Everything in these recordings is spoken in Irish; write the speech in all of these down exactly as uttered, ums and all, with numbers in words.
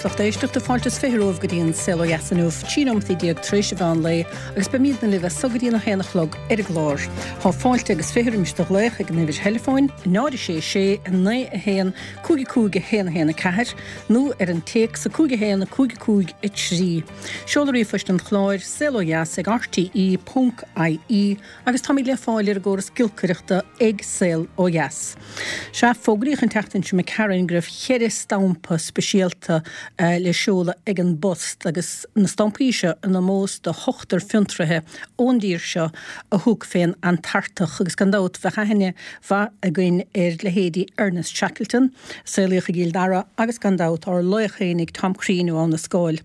is lucht éisteachta fáilte is fiche romhaibh go dtí an Saol Ó Dheas inniu, trí nóimeataí déag tar éis an mheán lae agus beimidne libh as so go dtí a haon a chlog ar an gclár. Tá fáilte agus fiche roimis do ghlaoch ag an uimhir theileafóin, náid a sé sé a naoi a haon cúig a cúig a haon a haon a ceathair nó ar an téacs a cúig a haon a cúig a cúig a trí. Seoladh ríomhphoist an chláir saol ó dheas ag rte ponc ie agus táimid le fáil ar an gcóras giolcaireachta ag Saol Ó Dheas. Sea, fógraíodh an tseachtain seo imigh tharainn go raibh ceithre stampa speisialta le seoladh ag an bPost agus na stampaí seo in ómós do hochtar fiontraithe ón dtír seo a thug fén Antartach agus gan dabht bheadh aithne mhaith againn ar leithéidí Ernest Shackleton, a saolaíodh i gCill Dara agus gan dabht ár laoch fhéinig Tom Crean ó Abha na Scáil.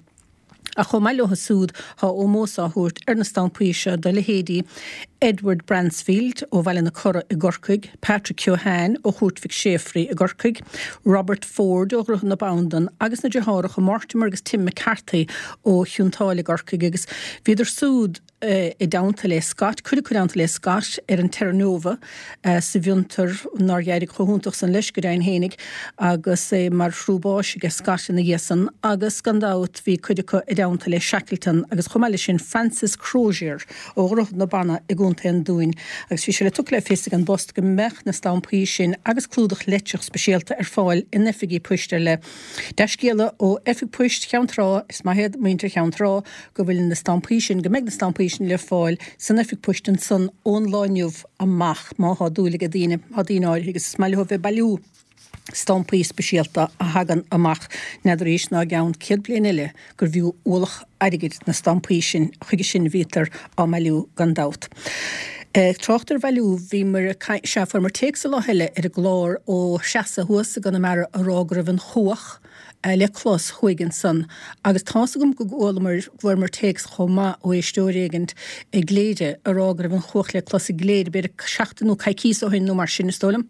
Ach chomh maith leo súd tá ómós á thabhairt ar na stampaí seo do leithéidí Edward Bransfield ó Bhaile na Cora i gCorcaigh, Patrick Keohane ó Chúirt Mhic Séafraidh i gCorcaigh, Robert Ford ó Dhroichead na Bandan agus na deartháireacha Mortimer agus Tim McCarthy ó Chionn tSáile i gCorcaigh agus bhíodar súd i dteannta le Scott, cuid acu i dteannta le Scott ar an Terra Nova sa bhfiontar nár d'éirigh chomh hiontach san leis go deimhin fhéinig agus é mar thrú báis aige Scott ina dhiaidh san agus gan dabht bhí cuid acu i dteannta le Shackleton agus chomh maith leis sin Francis Crozier ó Dhroichead na Banna i gContae an Dúin agus bhí sé le tugtha le fios ag an bPost go mbeadh na stampaí sin agus clúdach leictreach speisialta ar fáil in oifigí poist ar leith. Dea-scéala ó Oifig Poist Cheann Trá, is maith iad muintir Cheann Trá go bhfuil na stampaí sin, go mbeidh na stampaí sin le fáil san oifig poist ansan ón lá inniu amach má thá dúil ag daoine, thá daoine áirithe agus is maith leo bheith ag bailiú stampaí speisialta a thagann amach, n'fheadar anois ná i gceann céad bliain eile gurbh fhiú ualach airgid na stampaí sin, chuige sin a bhítear á mbailiú gan dabht. Ag trácht ar bhailiú, bhíomar ag caint, sea, fuaireamar téacs an lá eile ar an gclár ó Threasa thuas i gConamara a rá go raibh an chuach le clos thuaidh ansan agus tá's agam go gcualamar, go bhfuaireamar téacs chomh maith ó éisteoir éigint i gCléire a rá go raibh an chuach le clos i gCléire b'fhéidir seachtain nó coicíos ó shin nó mar sin is dóigh liom.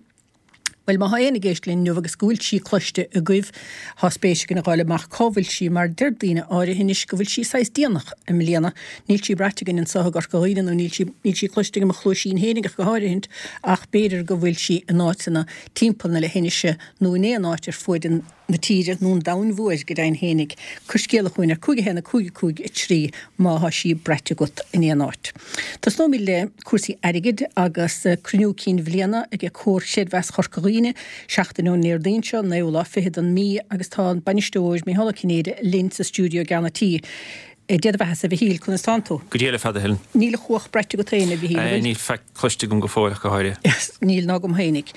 Bhuel, má thá éinne ag éisteacht linn inniu agus go bhfuil sí cloiste agaibh, thá spéis againn a dh'fháil amach cá bhfuil sí, mar deir daoine áirithe anois go bhfuil sí saghas déanach i mbliana. Níl sí braite againn anso i gCorca Dhuibhne, nó níl sí, níl sí cloiste ag mo chluaisín fhéinig ach go háirithint, ach b'fhéidir go bhfuil sí in áiteanna timpeall na leithinise nó in aon áit ar fuaid an na tíre nó an domhain mhóir, go deimhin fhéinig. Cuir scéala chugainn ar cúig a haon a cúig a cúig a trí má thá sí braite agat in aon áit. Tosnóimid le cúrsaí airgid agus cruinniú cinn bhliana ag Comhar Chreidmheas Chorca Dhuibhne seachtain ón nDéardaoin seo, an naoú lá fichead den mí agus tá an bainisteoir Micheál Ó Cinnéide linn sa stiúideo i gceann an tí. Dia do bheatha-sa, a Mhichíl, conas tánn tú? Go diail ar fad, a Helen. Níl an chuach braite agat féin, a Mhichíl, an bhfuil? Níl faic cloiste agam go fóill ach go háirithe. Níl ná agam fhéinig.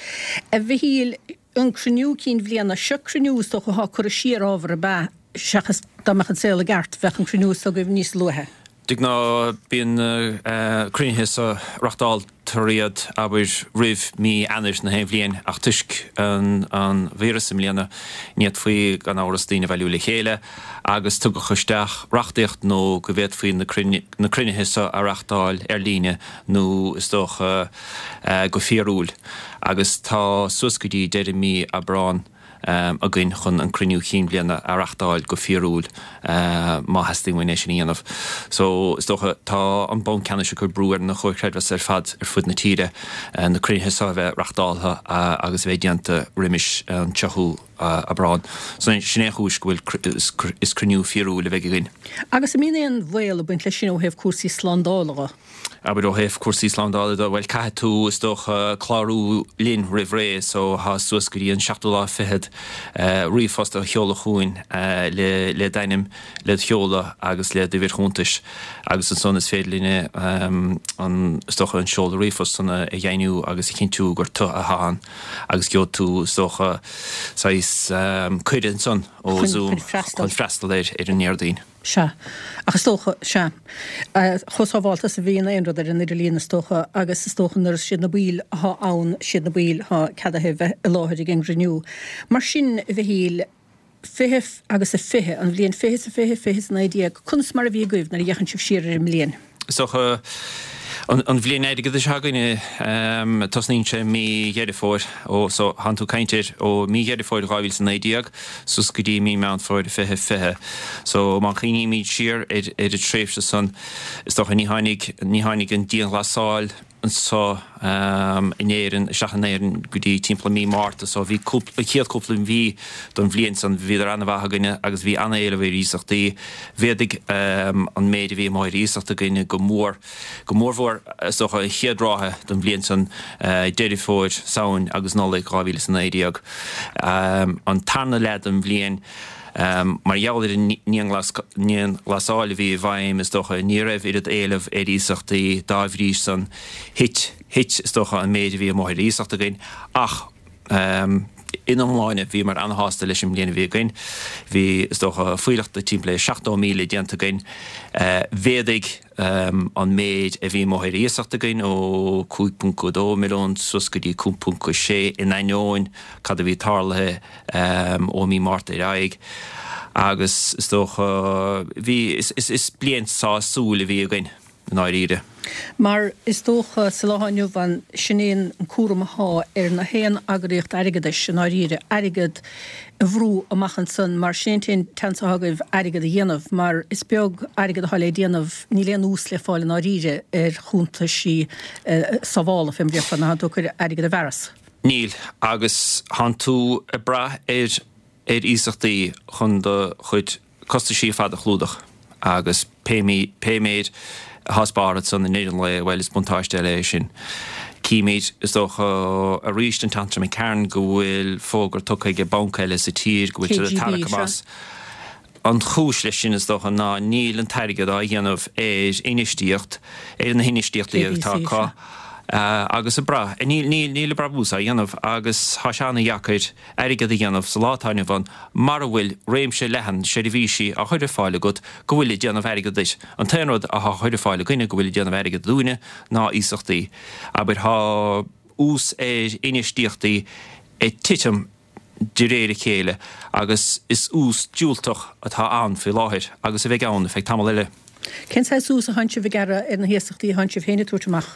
A Mhichíl, an cruinniú cinn bhliana, seo cruinniú is dócha athá curtha siar ábhar ab ea, seachas dá mbeadh an saol i gceart, bheadh an cruinniú s'agaibh níos luaithe. De ghnáth bíonn na cruinnithe so, reachtáltar iad, abair, roimh mí Eanáir na haon bhliain ach toisc an víreas i mbliana ní fhéadfaí gan amhras daoine a bhailiú le chéile agus tugadh isteach reachtaíocht nó go bhféadfaí na cruinnithe so a reachtáil ar líne nó is dócha go fíorúil agus tá suas go dtí deireadh mí Aibreán againn chun an cruinniú chinn bhliana a reachtáil go fíorúil má theastaíonn uainn é sin a dhéanamh. So is dócha tá an Banc Ceannais ag cur brú ar na comhair chreidmheasa ar fad ar fud na tíre na cruinnithe seo a bheith reachtáltha agus a bheith déanta roimis an tríochú Aibreán. So sin é an chúis go bhfuil is cruinniú fíorúil a bheidh againn. Agus an mbíonn aon bhaol ag baint leis sin ó thaobh cúrsaí slándála dho? Abair ó thaobh cúrsaí slándála de, bhuel caithfidh tú is dócha clárú linn roimh ré so thá suas go dtí an seachtú lá fichead ríomhphost a sheoladh chugainn le le d'ainm, le do sheoladh agus le d'uimhir chuntais agus ansan is féidir linne an is dócha an seoladh ríomhphost san a dheimhniú agus a chinntiú gur tu athá ann agus gheobhaidh tú is dócha saghas cuireadh ansan ó Zoom chun freastal ar ar an nDéardaoin. Sea. Ach is dócha, sea. Chomh sábhálta is a bhíonn aon rud ar an idirlíon is dócha, agus is dócha nuair is siad na baill athá ann, siad na baill athá ceadaithe bheith i láthair ag an gcruinniú. Mar sin, a Mhichíl, fiche agus a fiche, an bhliain fiche is a fiche, fiche is a naoi déag, conas mar a bhí agaibh nuair a fhéachann sibh siar ar an mbliain? Is dócha, an bhliain airgeadais againne, tosnaíonn sé mí Dheireadh Fómhair, ó so thánn tú ag caint ar ó mí Dheireadh Fómhair dhá mhíle is a naoi déag suas go dtí mí Meán Fómhair fiche fiche. So má chuimhnímid siar ar ar an tréimhse san, is dócha ní tháinig ní tháinig an dianghlasáil anseo in Éirinn, isteach in Éirinn go dtí timpeall mí Márta so bhí an chéad cúpla mhí don bhliain san bhíodar an-mhaith againne agus bhí an-éileamh ar iasachtaí. Mhéadaigh an méid a bhí amuigh ar iasacht againne go mór, go mórmhór is dócha an chéad ráithe don bhliain san, Deireadh Fómhair, Samhain agus Nollaig dhá mhíle is a naoi déag. An tarna leath den bhliain, Mar gheall ar an ndianghlasáil a bhí i bhfeidhm, is dócha, ní raibh oiread éileamh ar iasachtaí, dá bhrí san, thit, thit, is dócha, an méid a bhí amuigh ar iasacht againn. Ach in iomláine, bhíomar ana-shásta leis an mbliain a bhí againn. Bhí, is dócha, fuílleach de timpeall le seachtó míle déanta againn. Mhéadaigh an méid a bhí amuigh ar iasacht againn ó cúig ponc a dó milliún suas go dtí cúig ponc a sé in ainneoin cad a bhí tarlaithe ó mí Márta ar aghaidh agus is dócha bhí is bliain sásúil a bhí againn i ndáiríre. Mar is dócha sa lá atá inniu ann sin é an cúram athá ar na haon eagraíocht airgeadais i ndáiríre, airgead a bhrú amach ansan mar sin é an t-aon tseans athá agaibh airgead a dhéanamh mar is beag airgead athá le déanamh, níl aon ús le fáil i ndáiríre ar chuntaisí sábhála fé mar a déarfá nuair athánn tú ag cur airgead i bhfearas. Níl, agus thánn tú ag brath ar ar iasachtaí chun do chuid costaisí ar fad a chlúdach agus pé méid atá spártha ansan i ndeireadh an lae, bhuel, is buntáiste eile é sin. Címid, is dócha, arís an tseachtain seo imigh tharainn go bhfuil fógra tugtha ag banc eile sa tír go bhfuil siad ag tarrac amach. An chúis leis sin, is dócha, ná níl an t-airgead á dhéanamh ar infheistíocht, ar na hinfheistíochtaí atá acu agus ag brath, níl, níl, níl an brabús á dhéanamh agus tá sé ana-dheacair airgead a dhéanamh sa lá atá inniu ann mara bhfuil réimse leathan seirbhísí á chur ar fáil agat go bhfuil ag déanamh airgead duit. An t-aon rud athá á chur ar fáil againne go bhfuil ag déanamh airgead dúinne ná iasachtaí. Abair, thá ús ar infheistíochtaí ag titim de réir a chéile agus is ús diúltach atá ann faoi láthair agus a bheidh ann ar feadh tamall eile. Cén saghas ús a thánn sibh ag gearradh ar na hiasachtaí a thánn sibh féin ag tabhairt amach?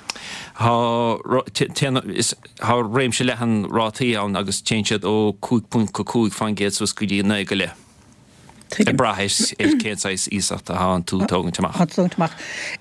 Tá réimse leathan rátaí ann agus téann siad ó cúig ponc a cúig faoin gcéad suas go dtí naoi go leith. Ag brath ar cén saghas iasacht atánn tú ag tógaint amach. Tógaint amach.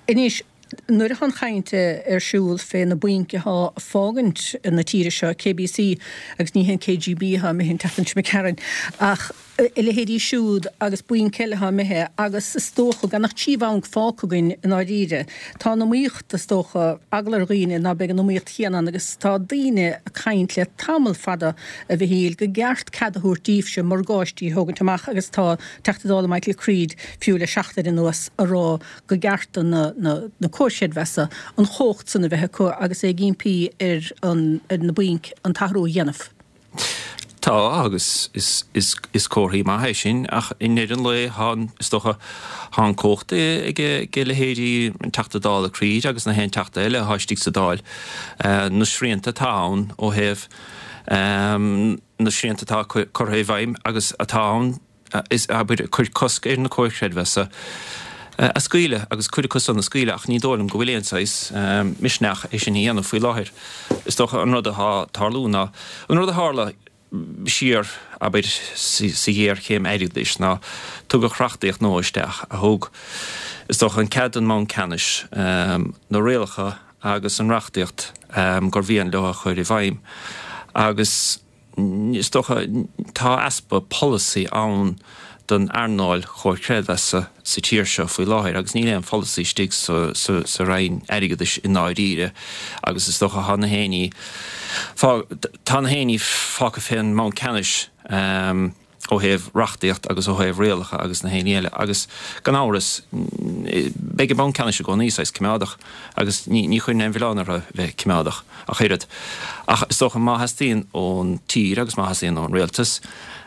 Anois, nuair atá an chaint ar siúl fé na bainc athá ag fágaint na tíre seo, KBC, agus ní hé an KGB athá imithe an tseachtain seo imigh tharainn, ach a leithéidí siúd agus bainc eile athá imithe agus is dócha gan ach trí bhanc fágtha againn i ndáiríre. Tá an iomaíocht, is dócha, eagla ar dhaoine ná beidh an iomaíocht chéanna ann agus tá daoine ag caint le tamall fada, a Mhichíl, go gceart cead a thabhairt díbhse morgáistí a thógaint amach agus tá Teachta Dála Michael Creed fiú le seachtain anuas a rá go gceart do na na comhair chreidmheasa an chumhacht san a bheith acu agus é ag impí ar ar na bainc an t-athrú a dhéanamh. Tá, agus is, is, is comharthaí maith é sin, ach i ndeireadh an lae tá an, is dócha, tá an cumhacht ag, ag leithéidí an Teachta Dála Creed agus na haon Teachta eile atá istigh sa Dáil, na srianta atá ann ó thaobh na srianta atá curtha i bhfeidhm agus atá ann, is, abair, cuir cosc ar na comhair chreidmheasa a scaoileadh agus cuid acu san a scaoileadh ach ní dóigh liom go bhfuil aon saghas misneach é sin a dhéanamh faoi láthair. Is dócha an rud atá ag tarlú ná an rud a tharla siar, abair, sa ghéarchéim airgeadais ná tugadh reachtaíocht nua isteach a thug, is dócha, an cead don mBanc Ceannais na rialacha agus an reachtaíocht gur mhian leo a chur i bhfeidhm agus is dócha, tá easpa polasaí ann don earnáil chomhair creidmheasa sa tír seo faoi láthair agus níl aon pholasaí istigh sa Roinn Airgeadais i ndáiríre agus is dócha tá na héinní tá na héinní fágtha fén mBanc Ceannais ó thaobh reachtaíocht agus ó thaobh rialacha agus na héinní eile agus gan amhras beidh an Banc Ceannais i gcónaí saghas coimeádach agus ní ní chuirfinn aon mhilleán orthu bheith coimeádach ach oiread. Ach is dócha má theastaíonn ón tír agus má theastaíonn ón rialtas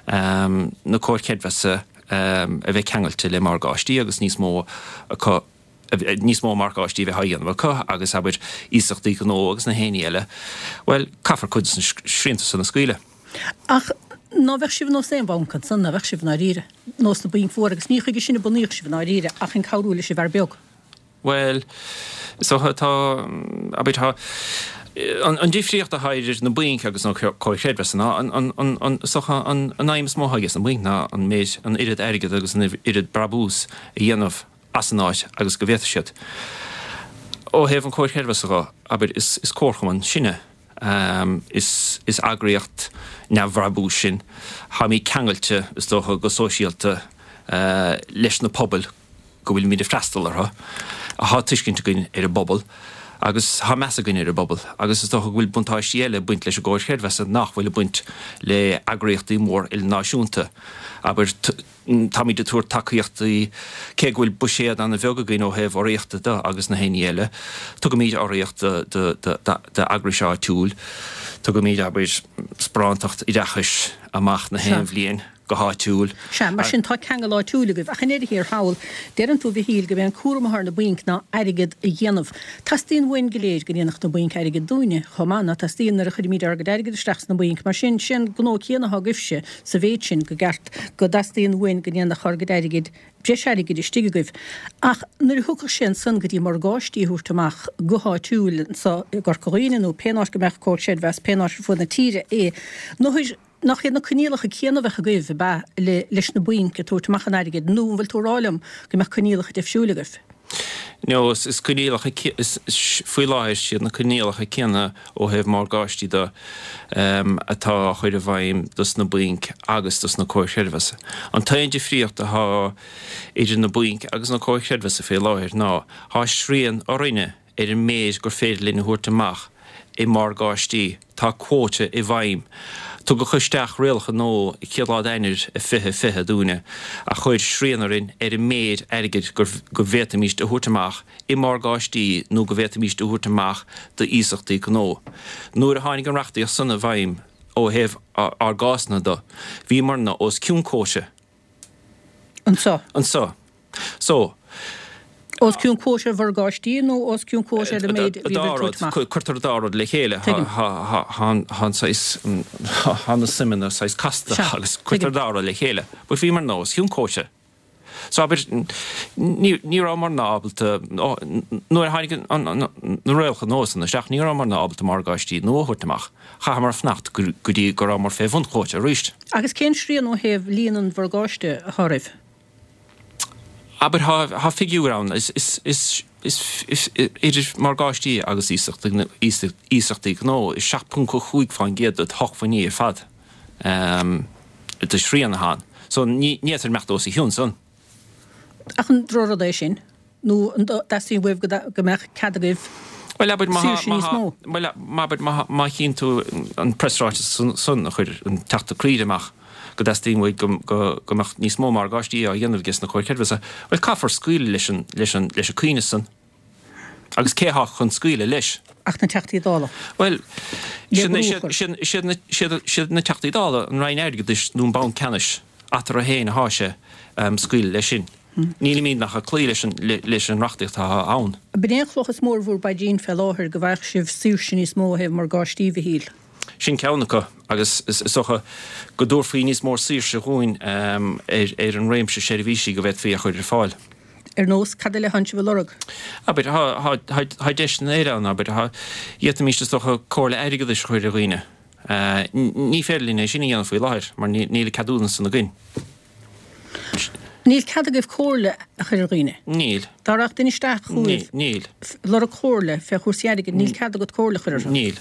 na comhair chreidmheasa a bheith ceangailte le morgáistí agus níos mó acu níos mó morgáistí a bheith á dhéanamh acu agus abair iasachtaí gnó agus na héinní eile, bhuel caithfear cuid de na srianta san a scaoileadh. Ach ná bheadh sibh nós aon bhanc ansan, ná bheadh sibh i ndáiríre, nós na bainc mhóra, agus ní chuige sin a bunaíodh sibh i ndáiríre ach chun cabhrú leis an bhfear beag. Bhuel, is dócha tá, abair, tá, an difríocht atá idir na bainc agus na comhair chreidmheasa ná an, an, an, an, is dócha an, an aidhm is mó atá aige sna bainc ná an méid, an oiread airgid agus an oiread brabús a dhéanamh as an áit agus go bhféadfaidh siad. Ó thaobh an Chomhar Creidmheasa dhe, abair, is is comharchumann sinne. Is is eagraíocht neamhbhrabúis sinn. Táimid ceangailte, is dócha, go sóisialta leis na pobail go bhfuilimid ag freastal orthu. Tá tuiscint againn ar an bpobal agus tá meas againn ar an bpobal agus is dócha go bhfuil buntáistí eile ag baint leis an gComhar Creidmheasa nach bhfuil ag baint le eagraíochtaí mór ilnáisiúnta. Abair, táimid ag tabhairt tacaíochtaí, cé go bhfuil buiséad an-bheag againn ó thaobh urraíochta de agus na haon ní eile, tugaimid urraíocht d'eagrais áitiúil, tugaimid, abair, sparántacht oideachais amach na haon bhliain. go háitiúil. Sea, mar sin tá ceangal áitiúil agaibh. Ach i ndeireadh thiar thall, deireann tú, a Mhichíl, gurb é an cúram atá ar na bainc ná airgead a dhéanamh. Teastaíonn uainn go léir go ndéanfadh na bainc airgead dúinne chomh maith, ná teastaíonn nuair a chuirimid ár gcuid airgid isteach sna bainc. Mar sin, sé an gnó céanna atá agaibhse sa mhéid sin go gceart go dteastaíonn uainn go ndéanfadh ár gcuid airgid breis airgid istigh agaibh. Ach nuair a thiocfadh sé ansan go dtí morgáistí a thabhairt amach go háitiúil anso i gCorca Dhuibhne nó pén áit go mbeadh Comhar Creidmheasa, pén áit ar fud na tíre é, nó Nach iad na coinníollacha céanna a bheadh agaibh, ab ea, le leis na bainc ag tabhairt amach an airgid, nó an bhfuil tú ag rá liom go mbeadh coinníollacha difriúil agaibh? No, is coinníollacha, faoi láthair, is iad na coinníollacha céanna ó thaobh morgáistí de atá á chur i bhfeidhm dos na bainc agus dos na comhair chreidmheasa. An t-aon difríocht atá idir na bainc agus na comhair chreidmheasa faoi láthair ná tá srian orainne ar an méid gur féidir linn a thabhairt amach i morgáistí. Tá quota i bhfeidhm. Tugadh isteach rialacha nua chéad lá d'Eanáir i fiche fiche dúinne a chuir srian orainn ar an méid airgid go bhféadfaimíst a thabhairt amach i morgáistí nó go bhféadfaimíst a thabhairt amach d'iasachtaí gnó. Nuair a tháinig an reachtaíocht san i bhfeidhm ó thaobh ár gcásanna de, bhíomarna os cionn quota. Anso. Anso. So. Os cionn quota ar mhorgáistí nó os cionn quota ar an méid a bhí ag tabhairt amach? Cuirtear an dá rud le chéile. Tá an saghas, tá na suimeanna saghas casta agus cuirtear an dá rud le chéile. But bhíomarna os cionn quota. So abair, ní rabhamarna ábalta, nuair a tháinig na rialacha nua san isteach, ní rabhamarna ábalta morgáistí nua a thabhairt amach. Chaitheamar fanacht go dtí go rabhamar fé bhun quota arís. Agus cén srian ó thaobh líon an mhorgáiste atá oraibh? Abair, tá figiúr ann, is idir morgáistí agus iasachtaí gnó, is seacht ponc a cúig faoin gcéad de shócmhainní ar fad de shrian atá ann. So ní fhéadfair imeacht os a chionn san. Ach an drochrud é sin? Nó an dteastaíonn uaibh go mbeadh cead agaibh Bhuel, abair, má saoirse níos mó? Bhuel, abair, má chíonn tú an preasráiteas san a chuir an Teachta Creed amach, go dteastaíonn uaidh go go mbeadh níos mó morgáistí á dhéanamh aige sna comhair chreidmheasa, bhuel, caithfear scaoileadh leis an leis an leis an cuimhneas san. Agus cé atá chun scaoileadh leis? Ach na Teachtaí Dála. Bhuel, Le brú a chur. siad na Teachtaí Dála, an Roinn Airgeadais nó an Banc Ceannais, eatarthu féin atá sé scaoileadh leis sin. Nílimid ach ag cloí leis an leis an reachtaíocht atá ann. B'in é an chloch is mó ar bhur bpaidrín fé láthair, go bhfaigheadh sibh saoirse níos mó ó thaobh morgáistí, a Mhichíl. Sin ceann acu agus is dócha go dtabharfaí níos mó saoirse dhúinn ar an réimse seirbhísí go bhféadfaí a chur ar fáil. Ar nós, cad eile atánn sibh a lorg? Abair, tá deiseanna eile ann, abair, d'fhéadfaimis is dócha comhairle airgeadais a chur ar dhaoine. Ní féidir linn é sin a dhéanamh faoi láthair mar níl an ceadúnas san againn. Níl cead agaibh comhairle a chur ar dhaoine? Níl. Dá rachadh duine isteach chugaibh. Níl. Lorg comhairle fé chúrsaí airgid, níl cead agat comhairle a chur orthu? Níl.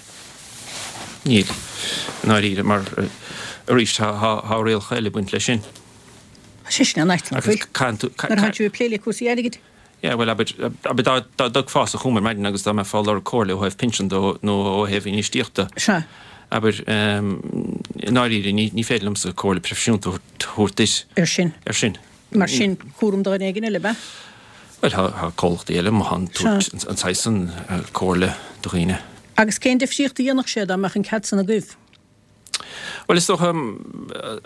Níl. I ndáiríre, mar arís tá rialacha eile ag baint leis sin. Tá sé sin an-ait, nach bhfuil? Nuair atánn sibh ag plé le cúrsaí airgid? Yeah, bhuel, abair, abair dá, dá dtiocfása chugam ar maidin agus dá mbeifeá ag lorg comhairle ó thaobh pinsean de nó ó thaobh infheistíochta. Sea. Abair, i ndáiríre, ní, ní féidir liomsa comhairle proifisiúnta a thabhairt duit. Ar sin. Ar sin. Mar sin, cúram do dhuine éigin eile, ab ea? Bhuel, tá, tá comhlachtaí eile amuigh ann ag tabhairt an saghas san comhairle do dhaoine. Agus cén difríocht a dhéanfadh sé dá mbeadh an cead san agaibh? Bhuel, is dócha,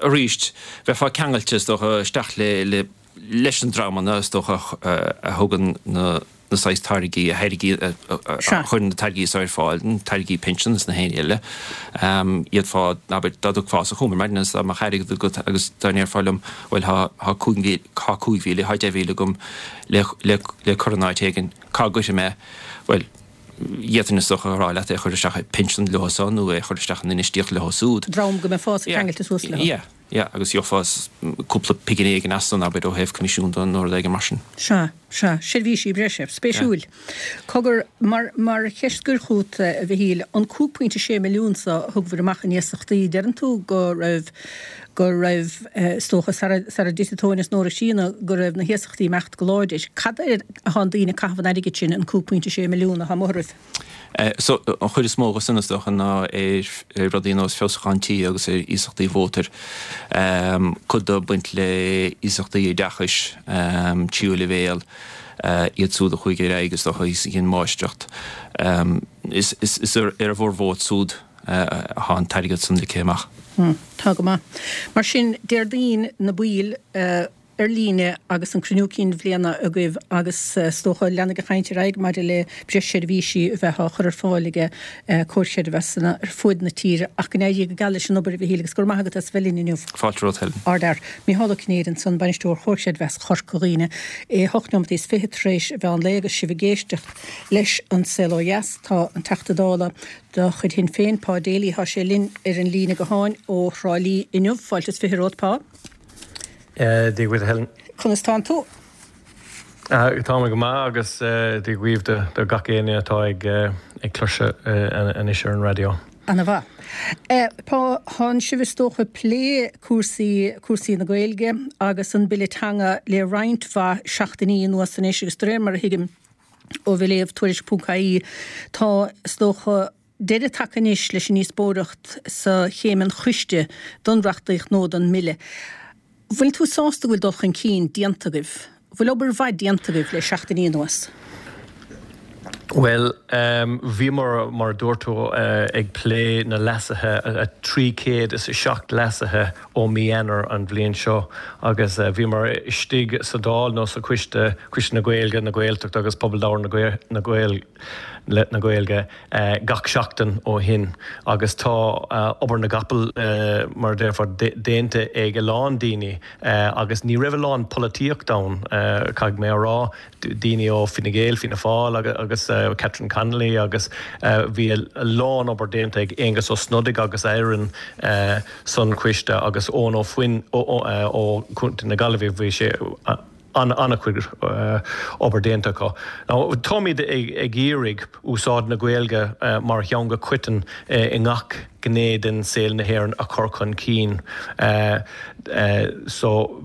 arís, bheifeá ceangailte, is dócha, isteach le, le, leis na dreamanna, is dócha, a thugann na saghas táirgí, a thairgí, a chuireann na táirgí so ar fáil, na táirgí pinsean is na haon ní eile. D'fhéadfá, abair, dá dtiocfása chugam ar maidin agus dá mbeadh airgead agat agus dá ndéarfá liom, bhuel, tá, tá cúig mhíle, tá cúig mhíle, tá deich mhíle agam le, le, le cur in áit éigin, cá gcuirfidh mé é? Bhuel, d'fhéadfainn, is dócha, a rá leat é a chur isteach i bpinsean leo so nó é a chur isteach in infheistíocht leo súd. Dream go mbeifeása ceangailte suas leo. Yeah. Yeah, agus gheofá cúpla pingin éigin as san, abair, ó thaobh coimisiún de nó rud éigin mar sin. Sea, sea, seirbhísí breise. Spéisiúil. Cogar, mar, mar cheist scoir chugat, a Mhichíl, an cúig pointe sé milliún so a thugbhair amach in iasachtaí, deireann tú go raibh, go raibh, is dócha, sara, sara dtitfidh tóin as an ór ag síneadh, go raibh na hiasachtaí ag imeacht go láidir. Cad air atá an daoine ag caitheamh an airgid sin, an cúig pointe sé milliún atá amuigh oraibh? So, an chuid is mó de sin, is dócha, ná ar rudaí ar nós feabhsúchán tí agus ar iasachtaí mhótair. Cuid de ag baint le iasachtaí oideachais, tríú leibhéal, iad súd a chuaigh ar aghaidh, is dócha, is a dhein máistreacht. Is ar a bhformhór súd atá an t-airgead san ligthe amach. Tá go maith. Mar sin, Déardaoin na baill ar líne agus an cruinniú cinn bhliana agaibh agus is dócha leanfaidh an chaint ar aghaidh maidir le breis seirbhísí a bheith á chur ar fáil ag comhar creidmheasanna ar fuaid na tíre ach go n-éirí go geal leis an obair a Mhichíl agus go raibh maith agat as a bheith linn inniu. Fáilte romhat Helen. Ardfhear. Mícheál Ó Cinnéide ansan, Bainisteoir Chomhar Creidmheasa Chorca Dhuibhne. É hocht nóimeataí is fiche tar éis mheán lae agus sibh ag éisteacht leis An Saol Ó Dheas. Tá an Teachta Dála de chuid Shinn Féin, Pa Daly, tá sé linn ar an líne gutháin ó Thrá Lí inniu. Fáilte is fiche romhat, Pa. Dia dhuit Helen. Conas tánn tú? Tá mé go maith agus Dia dhaoibh do gach éinne atá ag ag cloisteáil anois ar an raidió. Ana mhaith. Pa, thánn sibh is dócha ag plé cúrsaí, cúrsaí na Gaeilge agus an Bille Teanga le roinnt mhaith seachtainí anuas anois agus de réir mar a thuigim ó bheith ag léamh Tuairisc ponc ie tá is dócha deireadh tagtha anois leis an ndíospóireacht sa chéim an choiste don reachtaíocht nó don mBille. Bhfuil tú sásta go bhfuil dul chun cinn déanta agaibh? Bhfuil obair mhaith déanta agaibh le seachtainí anuas? Bhuel, bhíomar, mar a dúirt tú, ag plé na leasuithe, trí chéad is a seacht leasuithe ó mí Eanáir an bhliain seo agus bhíomar istigh sa Dáil nó sa Choiste, Coiste na Gaeilge, na Gaeltachta agus Pobal Labhartha na na Gaeilge, gach seachtain ó shin agus tá obair na gcapall, mar a déarfá, déanta ag a lán daoine agus ní raibh a lán polaitíocht ann, caithfidh mé a rá, daoine ó Fine Gael, Fianna Fáil agus Catherine Connolly agus bhí a lán obair déanta ag Aengus Ó Snodaigh agus a fhoireann san choiste agus Eoin Ó Foinn ó Chontae na Gaillimhe, bhí sé. an-chuid obair déanta acu. Now, táimid ag iarraidh úsáid na Gaeilge mar theanga choiteann i ngach gné den saol na hÉireann a chur chun cinn so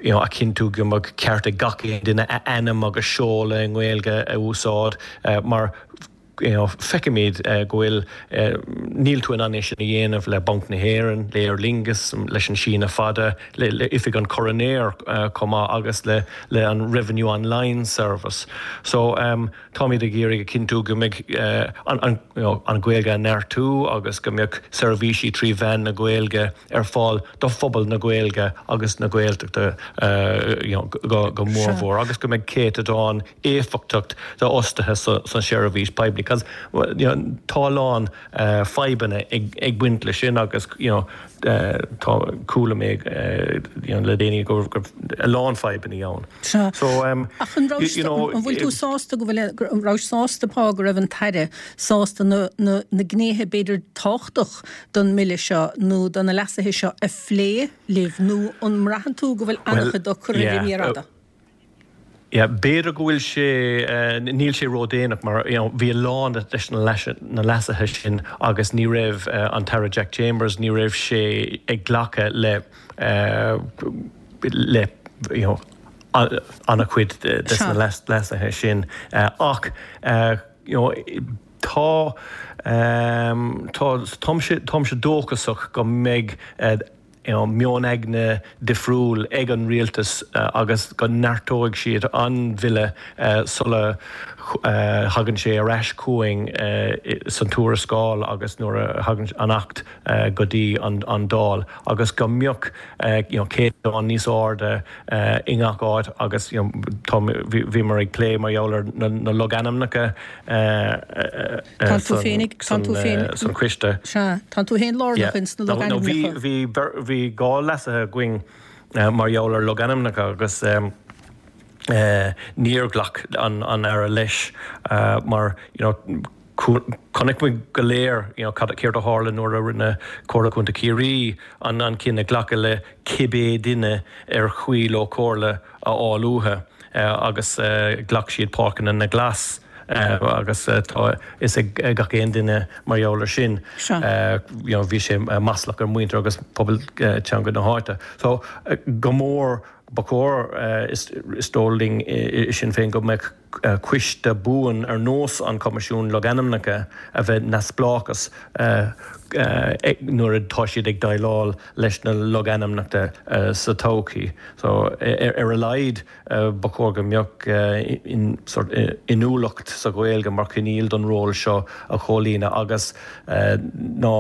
you know a chinntiú go mbeadh ceart ag gach aon duine a ainm agus seoladh i nGaeilge a úsáid mar you know, feicimid go bhfuil, níl tú in ann é sin a dhéanamh le Banc na hÉireann, le Aer Lingus, leis an síneadh fada, le le Oifig an Choróinéir chomh maith agus le le an Revenue Online Service. So táimid ag iarraidh a chinntiú go mbeidh an an you know an Ghaeilge a neartú agus go mbeadh seirbhísí trí mheán na Gaeilge ar fáil do phobal na Gaeilge agus na Gaeltachta you know go go mórmhór agus go mbeidh céatadán éifeachtach d'fhostaithe sa seirbhís poiblí cos you know tá a lán fadhbanna ag baint leis sin agus you know tá chuala mé you know le déanaí go raibh a lán fadhbanna ann. Sea. So um Ach an raibh you know an bhfuil tú sásta go bhfuil an raibh sásta Pa go raibh an tAire sásta na na na gnéithe b'fhéidir tábhachtach don mBille seo nó do na leasuithe seo a phlé libh nó an mbraitheann tú go bhfuil Well an-chuid dó curtha ar an yeah mhéar fhada? Yeah, b'fhéidir go bhfuil sé, níl sé ródhéanach mar you know bhí a lán de na leasuithe sin agus ní raibh an tAire Jack Chambers, ní raibh sé ag glacadh le le you know an-chuid de na leasuithe sin ach you know tá tá táimse táimse dóchasach go mbeidh meon aigne difriúil ag an rialtas agus go neartóidh siad an bhille sula thagann sé ar ais chugainn san tuarascáil agus nuair a thagann an Acht go dtí an Dáil agus go mbeadh céatadán níos airde i ngach áit agus bhíomar ag plé mar gheall ar na logainmneacha Tá tú féin, tá tú féin, san choiste. Sea, tá tú féin lárnach ins na logainmneacha. Bhí, bhí dhá leasaithe againn mar gheall ar logainmneacha agus níor ghlac an Aire leis mar, you know, Chonaic muid go léir you know, cad céard a tharla nuair a rinne Comhairle Contae Chiarraí an an cinneadh glacadh le cibé duine ar cuí leo comhairle a fháil uathu agus ghlac siad Páirceanna na nGlas agus tá fhios ag gach aon duine mar gheall air sin. You know, bhí sé maslach ar muintir agus pobal teanga na háite. So go mór ba chóir is dóigh linn i Sinn Féin go mbeadh coiste buan ar nós an Coimisiún Logainmneacha a bheith neamhspleáchas nuair atá siad ag déileáil leis na logainmneacha sa todhchaí. So ar a laghad ba chóir go mbeadh inniúlacht sa Ghaeilge mar choinníoll don ról seo a chomhlíonadh agus ná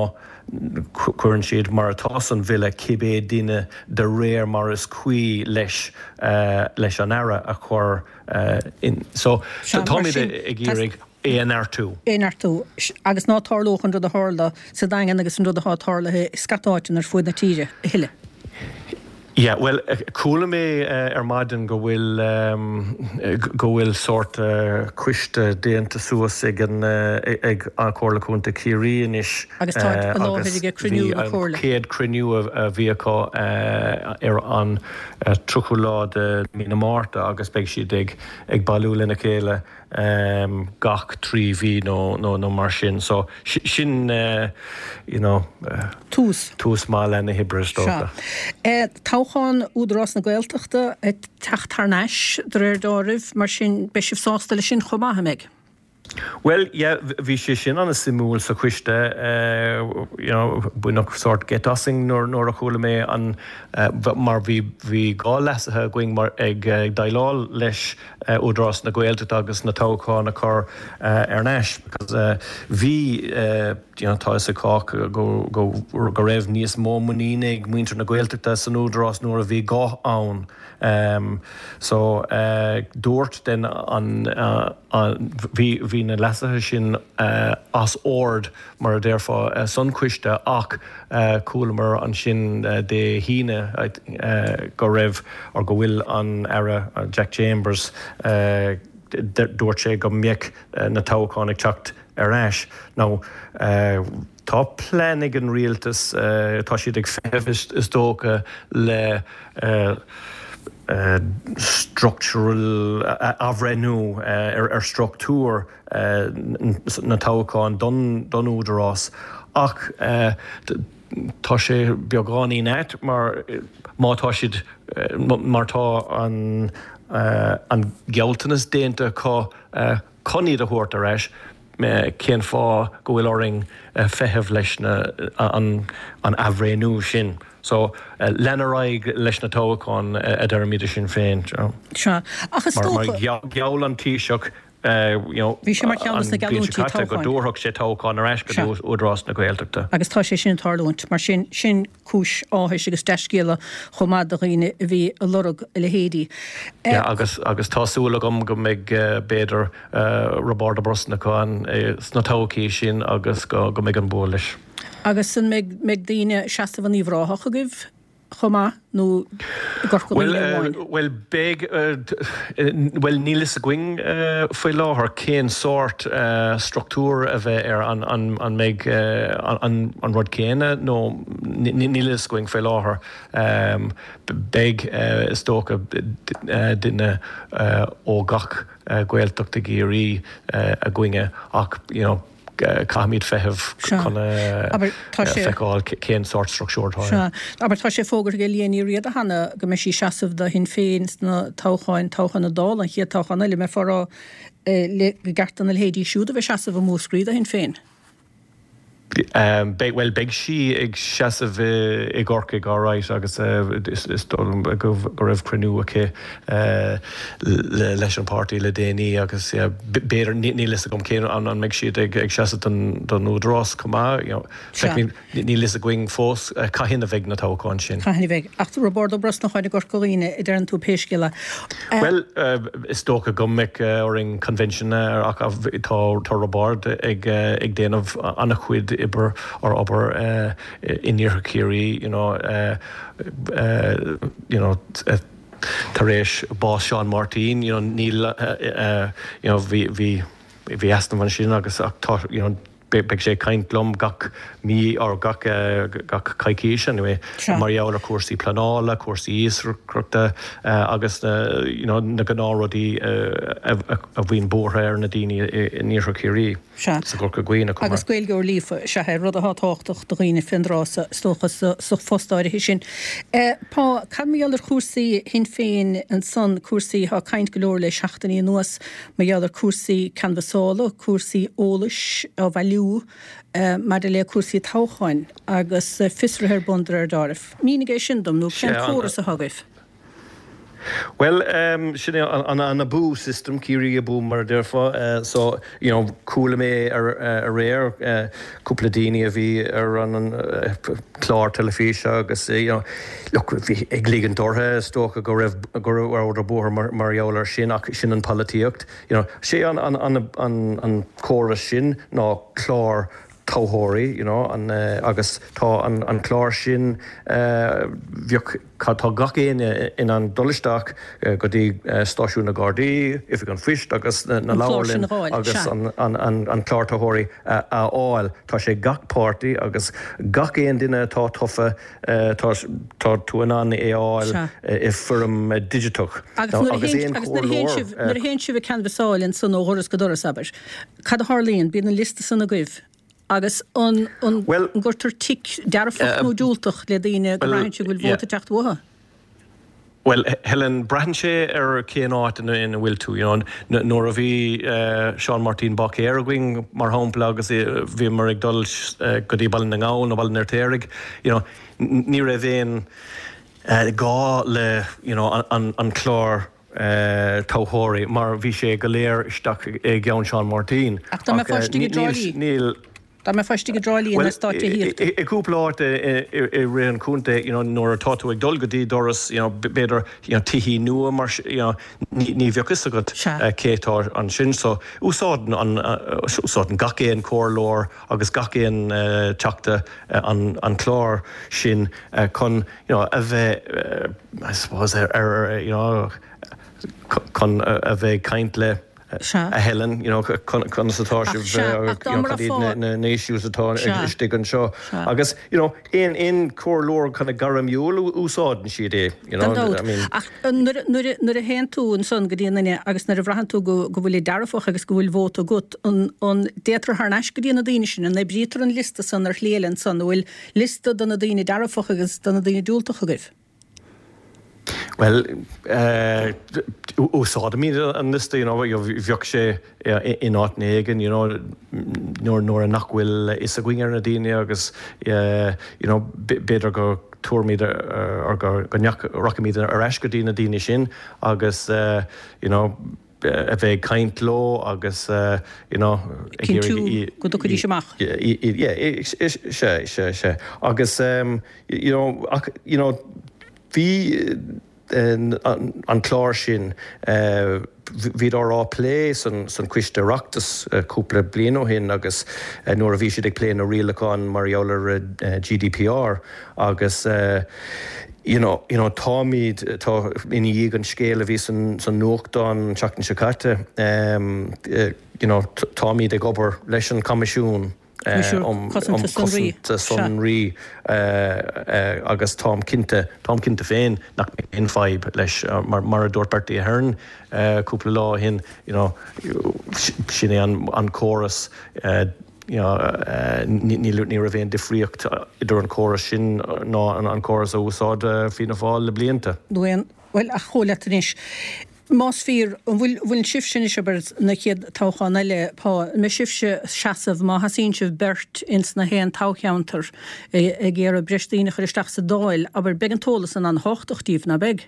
cuireann siad mar atá san bhille cibé duine de réir mar is cuí leis leis an Aire a chur in. So táimid ag iarraidh é a neartú. É a neartú. Agus ná tarlódh an rud a tharla sa Daingean agus an rud atá tarlaithe i scata áiteanna ar fuaid na tíre a thuilleadh. Yeah, bhuel, chuala mé ar maidin go bhfuil go bhfuil sórt coiste déanta suas ag an ag an Comhairle Contae Chiarraí anois. Agus tá i láthair ag cruinniú na Comhairle. Chéad cruinniú a bhí acu ar an tríochú lá de mí na Márta agus beidh siad ag ag bailiú lena chéile gach trí mhí nó nó nó mar sin. So sin you know tús tús maith le na hoibre is dócha. Toghchán Údarás na Gaeltachta ag teacht thar n-ais de réir dealraimh, mar sin beidh sibh sásta leis sin chomh maith, an mbeidh? Bhuel, yeah, bhí sé sin an-suimiúil sa choiste, you know, baineadh sórt geit asainn nuair nuair a chuala mé an mar bhí bhí dhá leasaithe againn mar ag déileáil leis Údarás na Gaeltachta agus na toghcháin a chur ar n-ais because bhí you know, tá fhios ag cách go go go raibh níos mó muiníne ag muintir na Gaeltachta san Údarás nuair a bhí guth ann. Um, so uh, dúirt den an uh, bhí bhí na leasuithe sin uh, as ord mar a déarfá uh, san choiste ach uh, chualamar ansin uh, Dé hAoine uh, go raibh or go bhfuil an Aire uh, Jack Chambers uh, dúirt sé go mbeadh uh, na toghcháin ag teacht ar ais. Now, uh, tá plean ag an rialtas uh, tá siad ag feitheamh is dócha le uh, Uh, structural uh, athbhreithniú uh, ar, ar struchtúr uh, na toghcháin don, don údarás ach uh, tá sé beagáinín ait mar má tá siad mar tá an, uh, an gealltanas déanta acu uh, chun iad a thabhairt ar ais cén fáth go bhfuil orainn feitheamh leis na, an, an athbhreithniú sin. So uh, lean ar aghaidh leis na toghcháin uh, a deirimid Sinn Féin. Sea. Ach is dócha... Mar gheall an Taoiseach Bhí sé mar cheann de na geallúintí toghcháin. Go dtabharfadh sé toghchán ar ais go Údarás na Gaeltachta. Agus tá sé sin ag tarlúint, mar sin sin cúis áthais agus dea-scéala chomh maith do dhaoine a bhí ag lorg a leithéidí. Yeah, agus agus tá súil agam go mbeidh b'fhéidir Roibeárd Ó Brosnacháin sna toghcháin sin agus go go mbeidh an bua leis. Agus an mbeidh daoine ag seasamh in Uíbh Ráthach agaibh chomh maith nó i gCorca Dhuibhne amháin? Bhuel beidh bhuel níl fhios againn faoi láthair cén sórt struchtúr a bheidh air an an an mbeidh an an rud céanna nó níl fhios againn faoi láthair. Beidh is dócha duine ó gach Gaeltacht i gCiarraí againne ach you know caithfimid feitheamh chun feiceáil cén sórt struchtúr atá Sea. Abair, tá sé fógartha ag Liadh Ní Riada cheana go mbeidh sí ag seasamh do Shinn Féin sna toghcháin, toghchán na Dála, an chéad toghchán eile, mbeifeá ag rá gur ceart do na leithéidí siúd a bheith ag seasamh i Múscraí do Shinn Féin. Beidh, bhuel, beidh sí ag seasamh i gCorcaigh alright agus is dóigh liom go raibh cruinniú aici leis an páirtí le déanaí agus b'fhéidir, níl fhios agam cén, an mbeidh siad ag seasamh don Údarás chomh maith, you know, feicfimid, níl fhios againn fós cathain a bheidh na toghcháin sin. Cathain a bheidh. Ach Roibeárd Ó Brosnacháin i gCorca Dhuibhne, a deireann tú pé scéal é. Bhuel, is dócha go mbeidh orainn convention ach tá Roibeárd ag déanamh an-chuid oibre or obair in Iarthar Chiarraí, you know, you know, tar éis bás Seán Máirtín, you know, níl, you know, bhí, bhí, bhí easnamh ansin agus ach tá you know, beidh sé ag caint liom gach mí or gach gach coicís anyway mar gheall ar cúrsaí pleanála, cúrsaí iascaireachta agus you know na gnáthrudaí a bhíonn buartha ar na daoine in Iarthar Chiarraí sa gCorca Dhuibhne chomh maith. Agus Gaeilgeoir líofa is ea é, rud atá tábhachtach do dhaoine fén dtráth so is dócha sa phost áirithe sin. Pá, cad mar gheall ar chúrsaí Shinn Féin ansan, cúrsaí, tá caint go leor le seachtainí anuas mar gheall ar cúrsaí canbhasála, cúrsaí eolais á bhailiú maidir le cúrsaí toghcháin agus fiosruithe ar bun de réir dealraimh. Mínigh é sin dom, nó cén córas atá agaibh? Bhuel, sin é an an Abú system, Ciarraí Abú mar a déarfá. So, you know, chuala mé aréir cúpla daoine a bhí ar an chlár teilifíse agus, you know, look, bhí ag ligint orthu, is dócha go raibh go rabhadar buartha mar mar gheall air sin ach sin an polaitíocht. You know, sé an an an an an córas sin ná clár toghthóirí, you know, an agus tá an an clár sin bheadh tá gach éinne in ann dul isteach go dtí stáisiún na Gardaí, Oifig an Phoist agus na leabharlann agus an an an an clár toghthóirí a fháil. Tá sé gach páirtí agus gach aon duine atá tofa tá tá tú in ann é a fháil i bhfoirm digiteach. Agus nuair a théann nuair a théann sibh ag canbhasáil ansan ó dhoras go doras, abair, cad a tharlaíonn? Bíonn an liosta san agaibh agus an an gcuirtear tic dearfach nó diúltach le daoine go mbraitheann sibh go bhfuil vóta ag teacht uathu? Bhuel, Helen, braitheann sé ar cén áit ina bhfuil tú. You know, nuair a bhí Seán Máirtín Báicéir againn, mar shampla, agus bhíomar ag dul go dtí Baile na nGall nó Baile an Fheirtéaraigh, you know, ní raibh aon gá le, you know, an an clár toghthóirí mar bhí sé go léir isteach i gceann Seán Máirtín. Ach dá mbeifeá istigh i dTrá Lí? Níl. Dá mbeifeá istigh i dTrá Lí in eastát tithíochta. I gcúpla áit i rith an chontae, you know, nuair atá tú ag dul go dtí doras, you know, b'fhéidir, you know, tithí nua mar you know, ní ní bheadh fhios agat cé atá ansin. So úsáideann an úsáideann gach aon chomhairleoir agus gach aon teachta an an clár sin chun, you know, a bheith, I suppose, ar ar you know, chun a bheith ag caint le Sea. A Helen, you know, conas atá Ach sibh, sea, ach dá you know, cad iad mbraithfeá. na na issues atá Sea. istigh anseo. Sea. Agus, you know, aon aon comhairleoir kind of gairmiúil úsáideann siad é, you Gan know, dabht. I mean. Ach nuair nuair nuair a théann tú ansan go dtí an duine agus nuair a bhraitheann tú go go bhfuil dearfach agus go bhfuil vóta agat, an an dtéitear thar n-ais go dtí na daoine sin, an oibrítear an liosta san ar shlí eile ansan, an bhfuil liosta do na daoine dearfach agus do na daoine diúltach agaibh? Bhuel, úsáidimid an liosta, you know, bheadh sé in áit éigin, you know, nuair nuair nach bhfuil fhios againn ar na daoine agus, you know, b'fhéidir go dtabharfaimid or go rachaimid ar ais go dtí na daoine sin agus, you know, a bheith ag caint leo agus, you know, ag Cinntiú iarraidh go dtiocfaidís amach. Yeah, sea, sea, sea. Agus, you know, ach, you know, bhí an clár sin, bhíodar á plé san Coiste Oireachtais cúpla bliain ó shin agus nuair a bhí siad ag plé na rialacháin mar gheall ar G D P R agus you know, you know, táimid, tá ina dhiaidh an scéal a bhí san nuachtán an tseachtain seo caite, you know, táimid ag obair leis an Coimisiún um Cosanta Sonraí agus táim cinnte, táim cinnte féin nach mbeidh aon fadhb leis mar mar a dúirt Bertie Ahern cúpla lá ó shin, you know, sin é an an córas you know, ní ní raibh aon difríocht idir an córas sin ná an córas a úsáid Fianna Fáil le blianta. Nó aon, bhuel, ach chomh leat anois. Más fíor, an bhfuil bhfuil sibhse anois abair na chéad toghchán eile, pá, an mbeidh sibhse seasamh má sheasaíonn sibh beirt ins na haon toghcheantar ag iarraidh breis daoine a chur isteach sa Dáil, abair, beidh an t-eolas san an-thábhachtach díbh, ná beidh?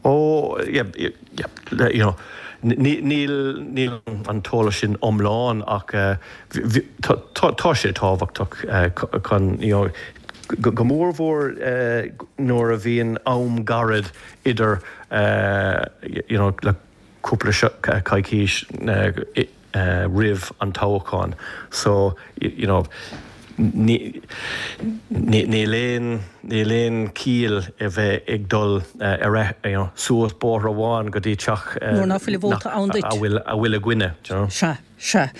Ó, yeah, yeah, you know, níl níl an t-eolas sin iomlán ach tá tá sé tábhachtach chun, you know, go mórmhór nuair a bhíonn am gairid idir you know le cúpla coicís roimh an toghchán. So you know Níl aon níl aon chiall a bheith ag dul ar you know, suas bóthar amháin go dtí teach Nuair ná fuil vóta ann duit. a bhfuil a bhfuil againne. do you know. Sea, sea.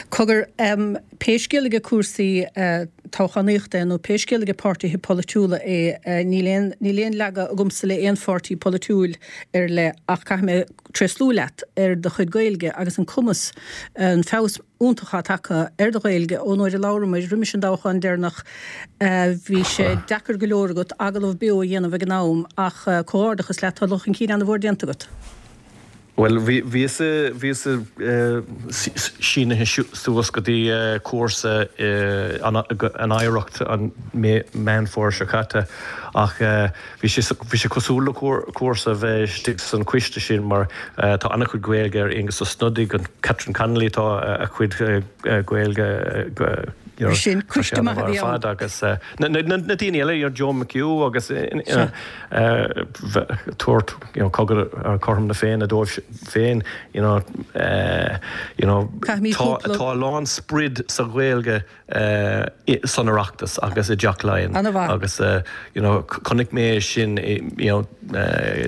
Cogar, um, pé scéal ag cúrsaí uh, toghchánaíochta nó pé scéal ag páirtithe polaitiúla é uh, níl aon níl aon leaga agamsa le aon pháirtí polaitiúil ar le ach caithfidh mé tréaslú leat ar do chuid Gaeilge agus an cumas an feabhas iontach atá ar do Ghaeilge ón uair a labhair muid roimis an dtoghchán deireanach uh, bhí sé deacair go leor agat agallamh beo a dhéanamh ag an am ach uh, comhghairdeachas leat tá dul chun cinn an-mhór déanta agat. Well bhí bhí sínithe suas go dtí cúrsa an Oidhreacht an Meán Fómhair seo caite ach bhí bhí sé cosúil le cúrsa bheith san coiste sin mar tá an-chuid Gaeilge ar Aengus Ó Snodaigh an Catherine Connolly tá a chuid Gaeilge sin coiste maith a bhí ann. fad agus na daoine eile ar Joe McHugh agus tabhairt cothrom na Féinne dóibh féin you know, uh, you know, tá tá lán sprid sa Ghaeilge uh, san Oireachtas agus i dTeach Laighean agus uh, you know, chonaic mé sin you know, uh,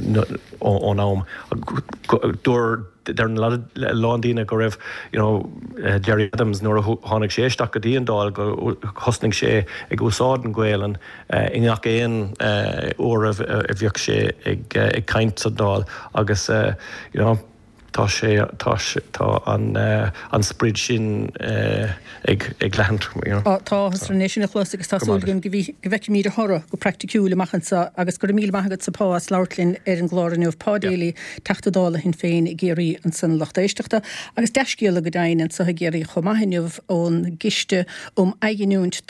ón am dúir der lán daoine go raibh you know, uh, Gerry Adams nuair a tháinig sé isteach go dtí an Dáil go thosnaigh sé ag úsáid an Ghaelainn uh, i ngach aon uh, uair a bhíodh sé ag, uh, ag caint sa Dáil agus uh, you know, tá sé tá sé tá an uh, an sprid sin uh, ag ag leathadh you know. Tá an sin chlos agus tá súil go bhfeicfimid a thoradh go praiticiúil amach anseo agus go míle maith agat a Pá as labhairt linn ar an gclár inniu Pá Daly Teachta Dála Shinn Féin i gCiarraí ansan lucht éisteachta agus dea-scéala go deimhin anseo i gCiarraí chomh maith inniu ón gCiste um Athghiniúint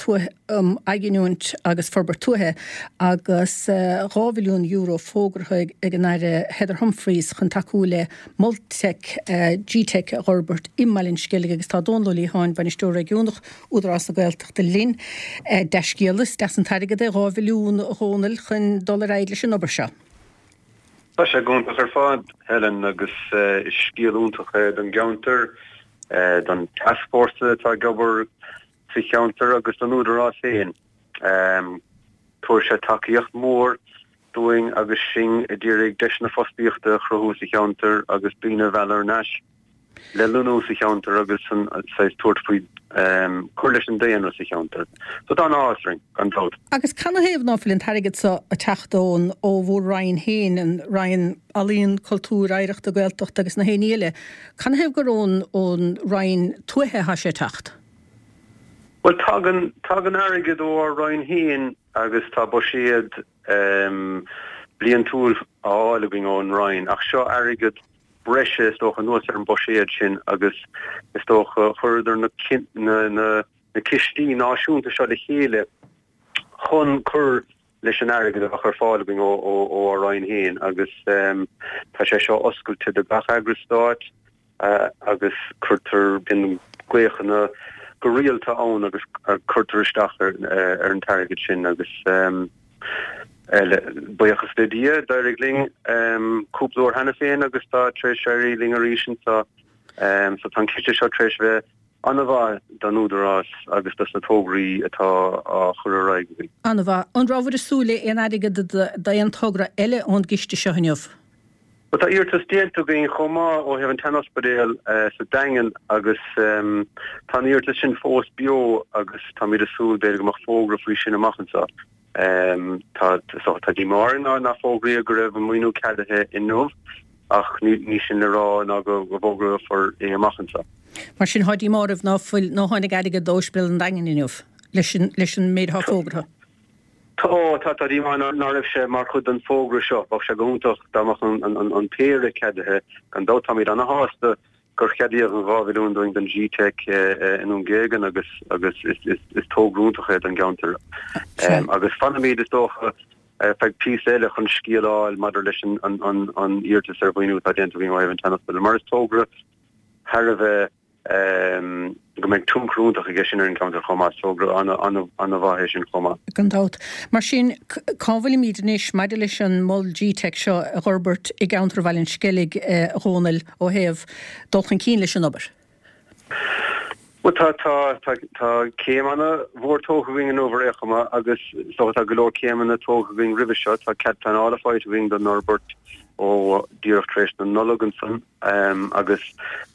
um Athghiniúint agus Forbairt Tuaithe agus dhá mhilliún euro fógartha ag an Aire Heather Humphreys chun tacú le Mol Tech uh, G-Tech a fhorbairt i mBaile an Sceilg agus tá Dónal Ó Liatháin bainisteoir réigiúnach Údarás na Gaeltachta linn uh, dea-scéala deas an t-airgead é dhá mhilliún a Dhónaill chun dul ar aghaidh leis an obair seo. Tá sé go hiontach ar fad Helen agus uh, scéal iontach é don gceantar uh, don tascfhórsa atá ag obair sa cheantar agus don Údarás féin. Um, Tabharfaidh sé tacaíocht mór dúinn agus sinn ag iarraidh deiseanna fostaíochta a chruthú sa cheantar agus daoine a mhealladh ar ais le lonnú sa cheantar agus an tabhairt faoi um, cur leis an daonra sa cheantar. So tá an-áthas orainn gan dabht. Agus canathaobh ná fuil an t-airgead seo ag teacht ón ó bhur Roinn féin an Roinn Ealaíon Cultúr Oidhreachta Gaeltacht agus na héine eile. Canathaobh gur ón ón Roinn Tuaithe atá sé ag teacht? Well tagann tagann airgead ó ár Roinn féin agus tá buiséad um, bliantúil á fháil againn ón Roinn ach seo airgead breise is dócha anuas ar an buiséad sin agus is dócha chuireadar na, na, na, na cistí náisiúnta seo le chéile chun cur leis an airgead a bheadh ar fáil againn ó ó ó ár Roinn féin agus um, tá sé seo oscailte do gach eagras stáit uh, agus cuirtear bíonn glaochanna go rialta ann agus uh, cuirtear isteach ar, uh, ar an t-airgead sin agus um, buíochas le Dia d'éirigh linn um, cúpla uair cheana féin agus tá tar éis éirí linn arís so um, so tá an ciste seo tar éis bheith an-mhaith don Údarás agus dos na tograí atá á chur ar aghaidh. An-mhaith an raibh ag súil le aon airgead d'aon togra eile ón gciste seo inniu. Ba tá iarratas déanta againn chomh maith ó thaobh an tsean-ospidéal uh, sa Daingean agus um, tá an iarratas sin fós beo agus táimid ag súil b'fhéidir go mbeadh fógra faoi sin amach anseo. Um, tá so, tá díomá orainn ná nár fógraíodh go raibh an maoiniú ceadaithe inniu ach ní, ní sin le rá ná go go bhfógrófar é amach anseo. Mar sin tá díomá oraibh ná fuil ná tháinig airgead d'ospidéal an Daingin inniu leis an leis an méid atá fógartha. Tá tá tá díomá ná raibh sé mar chuid den fógra seo, bheadh sé go hiontach dá mbeadh an, an, an, an péire ceadaithe gan dabht táimid an-shásta gur ceadaíodh an dhá mhilliún dúinn don G-Tech i nDún Géigean agus agus is, is, is togra iontach é don gceantar. Um, agus fanfaimid is dócha feadh píosa eile chun scéal a fháil maidir leis an, an, an, an iarratas ar mhaoiniú atá déanta againn ó thaobh an tsean-ospidéil. Mar is togra thar a bheith um, go mbeidh tionchar iontach aige sin ar an gceantar chomh maith, togra an-mhaith é sin chomh maith. Gan dabht. Mar sin cá bhfuilimid anois maidir leis an mol G-Tech seo a fhorbairt i gceantar Bhaile an Sceilg a Dhónaill ó thaobh dul chun cinn leis an obair. Well tá tá tá tá céim an-mhór tógtha againn inniu ar aon chuma agus so tá go leor céimeanna tógtha againn roimhe seo tá cead pleanála faighte againn don fhorbairt ó díreach tar éis na Nollag ansan um, agus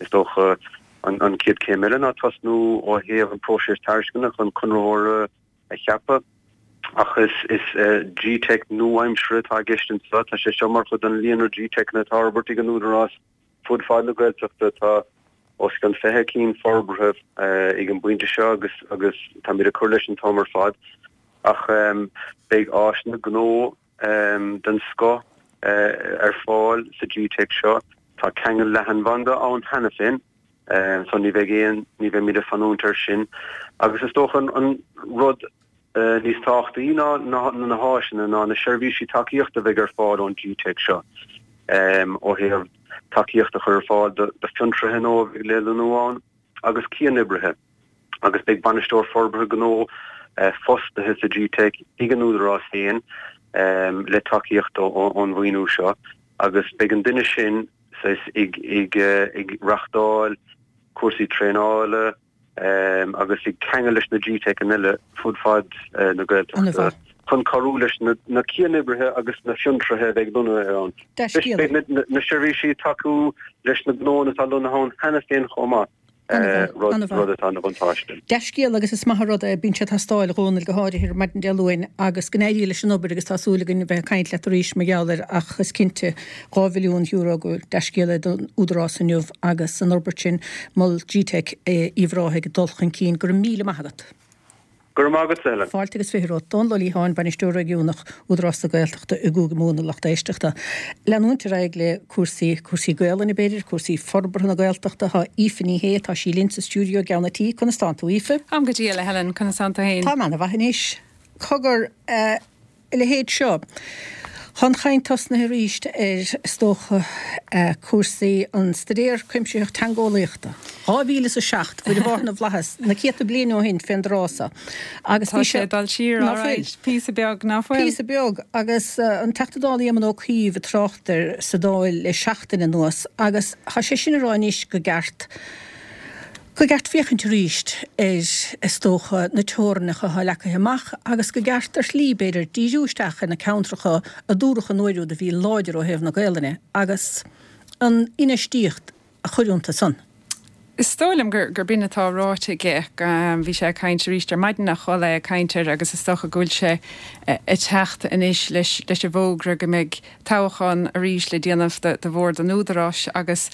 is dócha an, an chéad chéim eile ná tosnú ó thaobh an próiseas tairisceana chun conraitheoir a cheapadh. Ach is is uh, G-Teic nua-aimseartha atá i gceist anseo tá sé seo mar chuid den líonra G-Teiceanna atá á fhorbairt ag an Údarás fud fad na Gaeltachta tá os cionn fiche cinn forbartha ag an bpointe seo agus agus táimid ag cur leis an t-am ar fad ach um, beidh áiseanna gnó um, den scoth uh, ar fáil sa G-Teic seo tá ceangal leathanbhanda ann cheana féin um, so ní bheidh aon ní bheimid ag fanúint air sin agus is dócha an, an rud uh, níos tábhachtaí ná ná na háiseanna ná na seirbhísí tacaíochta a bheidh ar fáil ón G-Teic seo um, ó thaobh tacaíocht a chur ar fáil do fhiontraithe nua a bheidh le lonnú ann agus cianoibrithe agus beidh bainisteoir forbartha gnó uh, fostaithe sa G-Teic ag an Údarás féin um, le tacaíocht ón mhaoiniú seo agus beidh an duine sin ag ag ag reáchtáil cúrsaí traenála um, agus ag ceangal leis na G-Teiceanna eile fud fad uh, na Gaeltachta chun cabhrú leis na, na cianoibrithe agus na fiontraithe a bheidh lonnaithe ann. Beidh na, na seirbhísí tacú leis na gnónna atá lonnaithe ann cheana féin chomh maith. rud rud atá ina bhuntáiste. Dea-scéal agus is maith an rud é bíonn sé ag teastáil a Dhónaill go háirithe ar maidin Dé Luain agus go n-éirí leis an obair agus tá súil againn bheith ag caint leat arís mar gheall air ach is cinnte dhá mhilliún euro go dea-scéal é don Údarás inniu agus an fhorbairt sin mol G-Teic Uíbh Ráthaigh ag dul chun cinn. Go raibh míle maith agat. Go raibh maith agat, Helen. Fáilte agus fiche romhat. Dónal Ó Liatháin, Bainisteoir Réigiúnach Údarás na Gaeltachta i gCúige Mumhan, a lucht éisteachta. Leanúint ar aghaidh le cúrsaí, cúrsaí Gaelainne b'fhéidir, cúrsaí forbartha na Gaeltachta. Tá Aoife Ní Shé, tá sí linn sa stiúideo i gceann an tí. Conas tánn tú, Aoife? Táim go diail, a Helen, conas tánn tú féin? Táim ana-mhaith anois. Cogar, a leithéid seo. Tá an chaint tosnaithe arís ar, is dócha, cúrsaí an Staidéar Cuimsitheach Teangeolaíochta. Dhá mhíle is a seacht, Mhuire Mháthair na bhFlaitheas, na céadta bliain ó shin fén dtráth so. Agus Tá bhí sé sé ag dul siar, Ná all fuil? right, píosa beag, ná fuil? Píosa beag, agus an Teachta Dála Éamon Ó Cuív ag trácht air sa Dáil le seachtain anuas, agus tá sé sin ag rá anois go gceart go gceart féachaint arís ar, is dócha, na teorainneacha atá leagtha amach agus go gceart ar shlí, b'fhéidir, díriú isteach ar na ceantracha a dúradh an uair úd a bhí láidir ó thaobh na Gaelainne agus an infheistíocht a chur iontu san. Is dóigh liom gur gur b'in atá ráite aige. Bhí sé ag caint arís ar maidin a chuala é ag caint air agus is dócha go bhfuil sé ag teacht anois leis leis an bhfógra go mbeidh toghchán arís le déanamh do bhord an Údaráis agus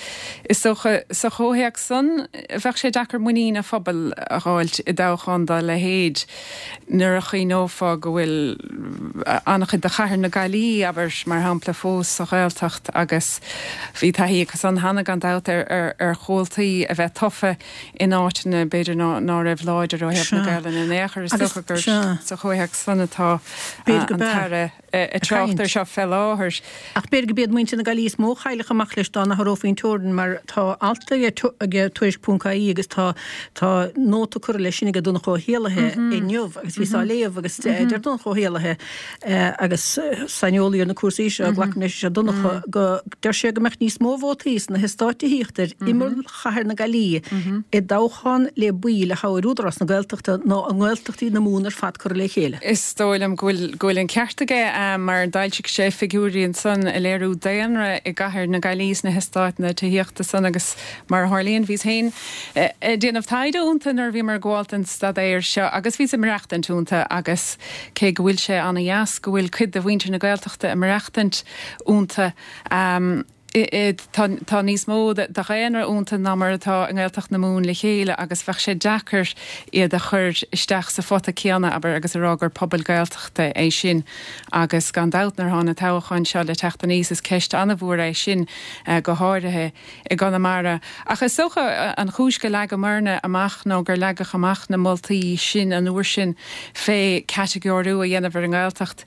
is dócha sa chomhthéacs san bheadh sé deacair muinín an phobail a dh'fháilt i dtoghchán dá leithéid nuair a chuimhneofá go bhfuil an-chuid de chathair na Gaillimhe, abair, mar shampla, fós sa Ghaeltacht agus bhí taithí acu san cheana gan dabht ar ar chomhaltaí a bheith tofa in áiteanna b'fhéidir ná raibh láidir ó thaobh na Gaelainne in aon chor. Is dócha gur sa chomhthéacs san atá an tAire ag trácht air seo fé láthair. Ach b'fhéidir go b'iad muintir na Gaillimhe is mó a chaillfeadh amach leis dá n-athrófaí an teorainn mar tá alt ag Tuairisc ponc ie agus tá tá nóta curtha leis sin ag Donncha Ó hÉallaithe inniu agus bhíos á léamh agus deir Donncha Ó hÉallaithe agus saineolaí ar na cúrsaí seo, glacaim leis is ea Donncha, go deir sé go mbeadh níos mó vótaí sna heastáit tithíochta ar imeall chathair na Gaillimhe i dtoghchán le baill a thoghadh ar Údarás na Gaeltachta ná i nGaeltachtaí na Mumhan ar fad curtha le chéile. Is dóigh liom go bhfuil go bhfuil an ceart aige mar d'fhoilsigh sé figiúirí ansan ag léiriú daonra i gcathair na Gaillimhe sna heastáit tithíochta san agus mar a tharlaíonn bhíos féin ag déanamh taighde iontu nuair a bhíomar ag gabháil don staidéar seo agus bhíos ag maireachtaint iontu agus cé go bhfuil sé ana-dheas go bhfuil cuid de mhuintir na Gaeltachta ag maireachtaint iontu tá níos mó de dhaonra iontu ná mar atá i nGaeltacht na Mumhan le chéile agus bheadh sé deacair iad a chur isteach sa phota céanna, abair, agus a rá gur pobal Gaeltachta é sin. Agus gan dabht nuair atá na toghcháin seo le teacht aníos is ceist an-mhór é sin go háirithe i gConamara. Ach is dócha an chúis go leagamarna amach nó gur leagadh amach na moltaí sin an uair sin fé catagóiriú a dhéanamh ar an nGaeltacht,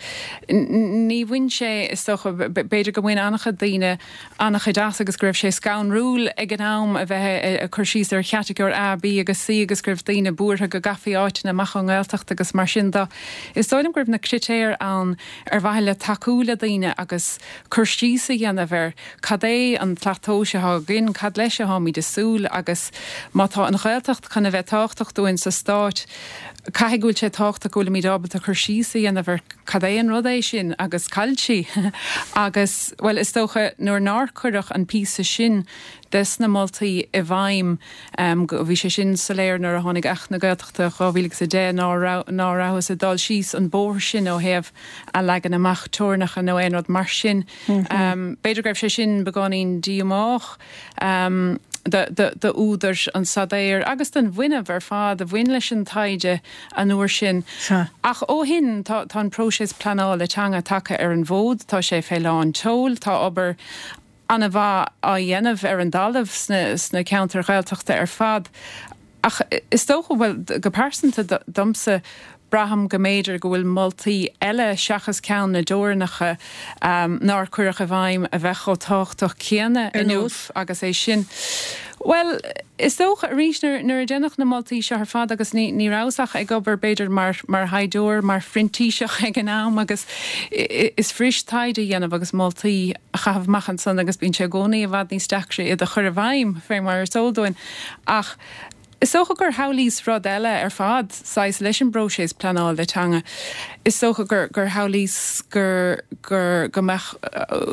ní bhain sé, is dócha, b'fhéidir go mbain an-chuid daoine an-chuid as agus go raibh sé scanrúil ag an am a bheith ag cur síos ar chatagóir A, B agus C agus go raibh daoine buartha go gcaithfí áiteanna amach ón nGaeltacht agus mar sin de. Is dóigh liom go raibh na critéir ann ar mhaithe le tacú le daoine agus cur síos a dhéanamh ar cad é an tslat tomhais atá againn, cad leis atáimid ag súil agus má tá an Ghaeltacht chun a bheith tábhachtach dúinn sa stát, caithfidh go bhfuil sé tábhachtach go bhfuilimid ábalta cur síos a dhéanamh ar cad é an rud é sin agus cá bhfuil sí agus, bhuel, is dócha nuair nár cuireadh an píosa sin des na moltaí i bhfeidhm, bhí sé sin soiléir nuair a tháinig Acht na Gaeltachta dhá mhíle agus a deich ná ná rabhthas ag dul síos an bóthar sin ó thaobh a leagan amach teorainneacha nó aon rud mar sin. B'fhéidir go raibh sé sin beagáinín díomách d'údair an staidéir agus don bhfuinneamh ar fad a bhain leis an taighde an uair sin. Ach ó shin tá an próiseas pleanála teanga tagtha ar an bhfód, tá sé fé lán tseoil, tá obair an-mhaith á dhéanamh ar an dtalamh sna ceantair Ghaeltachta ar fad. Ach is dócha, bhuel, go pearsanta domsa, braithim go mb'fhéidir go bhfuil moltaí eile seachas ceann na dteorainneacha nár cuireadh i bhfeidhm a bheadh chomh tábhachtach céanna inniu agus é sin. Bhuel, is dócha, arís, nuair a déanadh na moltaí seo ar fad agus ní ní rabhas ach ag obair b'fhéidir mar mar thaighdeoir, mar phrintíseach ag an am agus is fuirist taighde a dhéanamh agus moltaí a chaitheamh amach ansan agus bíonn sé i gcónaí i bhfad níos deacra iad a chur i bhfeidhm, fé mar is eol dúinn. Ach is dócha gur shamhlaíos rud eile ar fad, saghas, leis an bpróiseas pleanála teanga. Is dócha gur gur shamhlaíos gur gur go mbeadh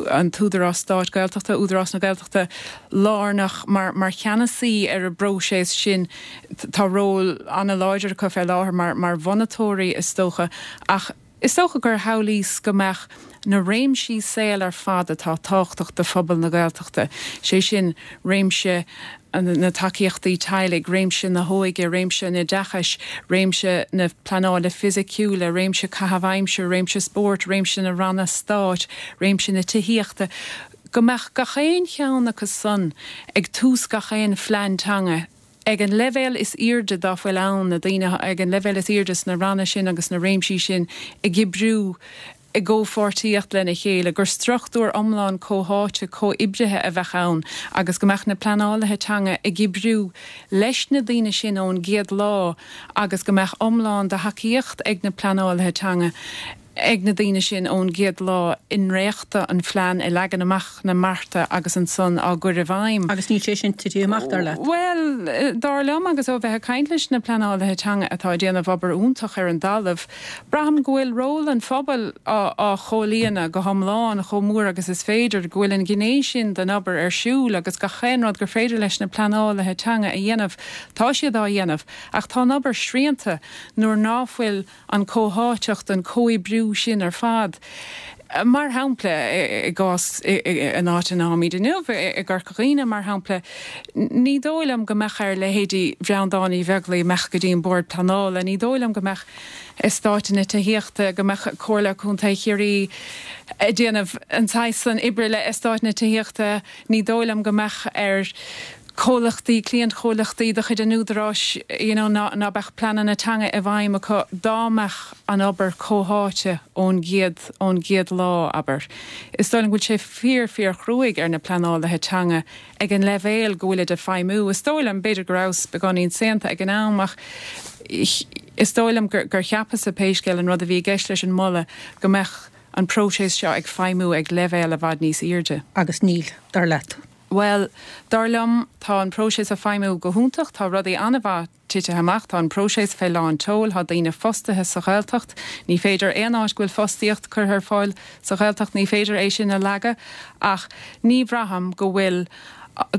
an t-údarás stáit Gaeltachta, Údarás na Gaeltachta, lárnach mar mar cheannasaí ar an bpróiseas sin. Tá ról an-láidir acu fé láthair mar mar mhonatóirí, is dócha, ach is dócha gur shamhlaíos go mbeadh na réimsí saoil ar fad atá tábhachtach do phobal na Gaeltachta, sé sin, réimse na tacaíochtaí teaghlaigh, réimse na hóige, réimse an oideachais, réimse na pleanála fisiciúla, réimse caitheamh aimsire, réimse spóirt, réimse na ranna stáit, réimse na tithíochta, go mbeadh gach aon cheann acu san ag tús gach aon phlean teanga ag an leibhéal is airde dá bhfuil ann, na daoine ag an leibhéal is airde sna ranna sin agus sna réimsí sin ag oibriú i gcomhpháirtíocht lena chéile, gur struchtúr iomlán comhtháite comhoibrithe a bheadh ann agus go mbeadh na pleanálaithe teanga ag oibriú leis na daoine sin ón gcéad lá agus go mbeadh iomlán de thacaíocht ag na pleanálaithe teanga ag na daoine sin ón gcéad lá i ndréachtadh an phlean, i leagan amach na mbearta agus ansan á gcur i bhfeidhm. Agus níl sé sin tite amach, dar leat? Bhuel, dar liom, agus ó bheith ag caint leis na pleanálaithe teanga atá ag déanamh obair iontach ar an dtalamh, braithim go bhfuil ról an phobail á chomhlíonadh go hiomlán, chomh mór agus is féidir, go bhfuil an ghné sin den obair ar siúl agus gach aon rud gur féidir leis na pleanálaithe teanga a dhéanamh, tá siad á dhéanamh. Ach tá an obair srianta nuair ná fuil an chomhtháiteacht, an comhoibriú sin ar fad. Mar shampla, i gcás an áit ina bhfuilimid inniu, i gCorca Dhuibhne, mar shampla, ní dóigh liom go mbeadh ar leithéidí Bhreandáin Uí Bheaglaoi imeacht go dtí an Bord Pleanála, ní dóigh liom go mbeadh eastáit na tithíochta, go mbeadh Comhairle Contae Chiarraí ag déanamh an saghas san oibre le eastáit na tithíochta, ní dóigh liom go mbeadh ar comhlachtaí, cliantchomhlachtaí de chuid an Údaráis, you know, ná, ná beadh pleananna teanga i bhfeidhm acu dá mbeadh an obair comhtháite ón gcéad, ón gcéad lá, abair. Is dóigh liom go bhfuil sé fíor, fíor chruaidh ar na pleanálaithe teanga ag an leibhéal go bhfuilid ag feidhmiú. Is dóigh liom, b'fhéidir go rabhas beagáinín saonta ag an am ach is dóigh liom gur, gur cheapas-sa pé scéal an rud a bhí i gceist leis an moladh go mbeadh an próiseas seo ag feidhmiú ag leibhéal i bhfad níos airde. Agus níl, dar leat. Bhuel, dar liom, tá an próiseas ag feidhmiú go hiontach, tá rudaí an-mhaith titithe amach, tá an próiseas fé lán tseoil, tá daoine fostaithe sa Ghaeltacht, ní féidir aon áit go bhfuil fostaíocht curtha ar fáil sa Ghaeltacht, ní féidir é sin a leagadh, ach ní bhraithim go bhfuil,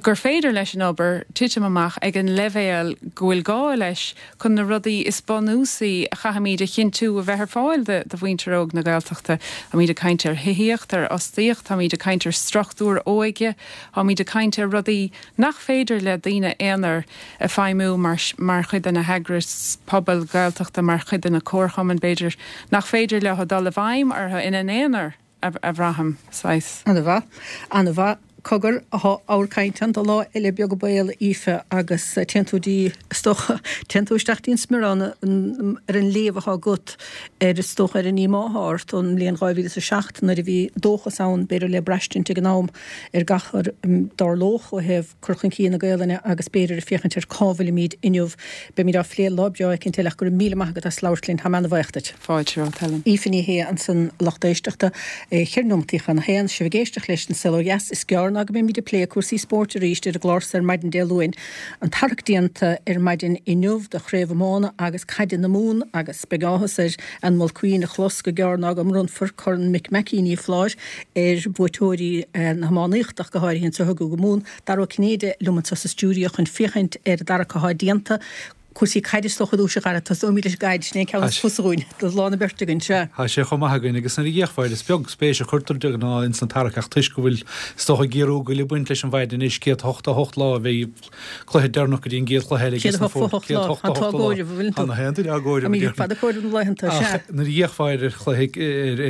gur féidir leis an obair titim amach ag an leibhéal go bhfuil gá leis chun na rudaí is bunúsaí a chaithfimid a chinntiú a bheith ar fáil do mhuintir óg na Gaeltachta. Táimid ag caint ar thithíocht, ar fhostaíocht, táimid ag caint ar struchtúir óige, táimid ag caint ar rudaí nach féidir le daoine aonair ag feidhmiú mar chuid de na heagrais pobail Ghaeltachta, mar chuid de na comharchumainn, b'fhéidir, nach féidir leo dul i bhfeidhm orthu ina n-aonar, a bhraithim, saghas. Ana-mhaith. Ana-mhaith. Cogar, thá ábhar cainte ann do lá eile beag an baol, a Aoife, agus téann tú dtí, is dócha, téann tú isteach dtí an smiorán ar an léamh athá agat ar, is dócha, ar an ndíomá athá ort ón mbliain dhá mhíle is a seacht nuair a bhí dóchas ann, b'fhéidir le braistint ag an am, ar gach a dtarlódh ó thaobh cur chun cinn na Gaelainne agus b'fhéidir ag féachaint ar cá bhfuilimid inniu. Beimid á phlé lá breá éicint eile ach go raibh míle maith agat as labhairt linn. Táim ana-bhaoch duit. Fáilte romhat, Helen. Aoife Ní Shé ansan lucht éisteachta. Ceithre nóimeataí chun a haon, sibh ag éisteacht leis An Saol Ó Dheas. Is gearr ná go mbeimid ag plé cúrsaí spóirt arís ar an gclár so ar maidin Dé Luain. An tarrac déanta ar maidin inniu do Chraobh Iomána agus Caide na Mumhan agus beidh áthas ar Ann Mulqueen a chlos go gearr ná go mbronnfar Corn Mick Mackey Ní Fláir ar bhuaiteoirí na hiománaíochta ach go háirithe anseo i gCúige Mumhan. Dara Ó Cinnéide liom anseo sa stiúideo chun féachaint ar an dtarrac athá déanta. Cúrsaí caide is dócha ar dtús, a Dhara, tosóimid leis an gcaid, sin é an ceann is fusa dhúinn, do lán na beirte againn, sea. Tá sé chomh maith againn agus nuair a d'fhéachfá air is beag spéis a chuirtear de ghnáth ins an tarrac ach toisc go bhfuil is dócha ag iarraidh ag baint leis an mhaidin anois, céad a hocht a hocht lá a bheidh cluiche deireanach go dtí an gcéad chluiche eile aige sna fóir. Céad a hocht a hocht lá, tá tú á gcomhaireamh, an bhfuileann tú? Tá na haon duine á gcomhaireamh, a déarfainn. Tá fada comhaireamh na laethanta, sea. Ach nuair a d'fhéachfá ar chluiche,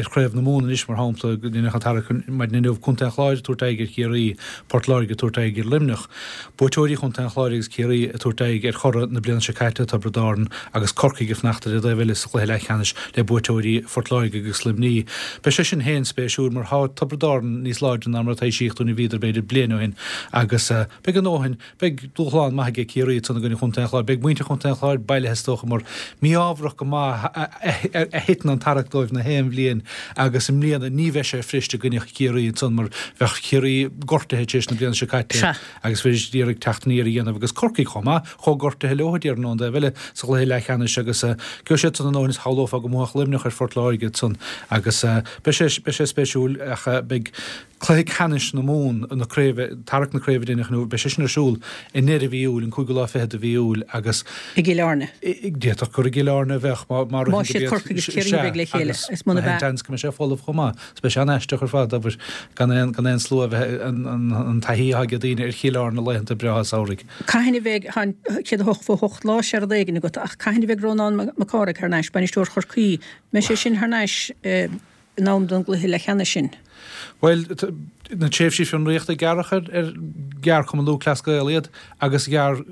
ar Chraobh na Mumhan anois mar shampla, deineadh an tarrac maidin inniu, Contae an Chláir ag tabhairt aghaidh ar Chiarraí, Port Láirge ag tabhairt aghaidh ar Luimneach. Buaiteoirí Chontae an Chláir agus Ciarraí ag tabhairt aghaidh ar churaidh na bliana seo caite, Tiobraid Árann, agus Corcaigh ag fanacht ar an dtaobh eile sa chluiche leathcheannais le buaiteoirí Phort Láirge agus Luimnigh. Beidh sé sin féin spéisiúil mar tá Tiobraid Árann níos láidre ná mar a taibhsíodh dúinn a bhíodar b'fhéidir bliain ó shin agus beidh a ndóthain, beidh dúshlán maith aige Ciarraí ansan i gcoinne Chontae an Chláir. Beidh muintir Chontae an Chláir bailithe is dócha mar mí-ámharach go maith a thiteann an tarrac dóibh na haon bhliain agus i mbliana ní bheidh sé fuirist i gcoinne Chiarraí ansan mar bheadh Ciarraí gortaithe tar éis na bliana seo caite agus bheidís ag iarraidh teacht aniar a dhéanamh agus Corcaigh chomh maith, chomh gortaithe leo déarfainn ón dtaobh eile sa chluiche leathcheannais agus gheobhaidh siad san a ndóthain is shamhlófá go mbuafadh Luimneach ar Phort Láirge ansan agus beidh sé beidh sé spéisiúil ach beidh cluiche ceannais na Mumhan, na craoibhe, tarrac na craoibhe a deineadh inniu, beidh sé sin ar siúl i ndeireadh mhí Iúil, an cúigiú lá fichead de mhí Iúil agus. I gCill Airne. D'fhéadfadh gur i gCill Airne a bheadh má má Más iad Corcaigh agus Ciarraí a bheidh le chéile, is muna bea. Seans go mbeidh sé folamh chomh maith. Is beidh sé an-aisteach ar fad, abair, gan aon gan aon slua a bheith, an an an taithí atá ag daoine ar Chill Airne laethanta breátha samhraidh. Cathain a bheidh, tá an céad a hocht fó hocht lá, sé rud éigin agat, ach cathain a bheidh Rónán Mac Cárthaigh thar n-ais, bainisteoir Chorcaí, mbeidh sé sin thar n-ais in am don gcluiche leathcheannais sin? Bhuel, na tréimhsí fionraíochta gearradh ar ar ghearr Cumann Lúthchleas Gael iad agus ghearr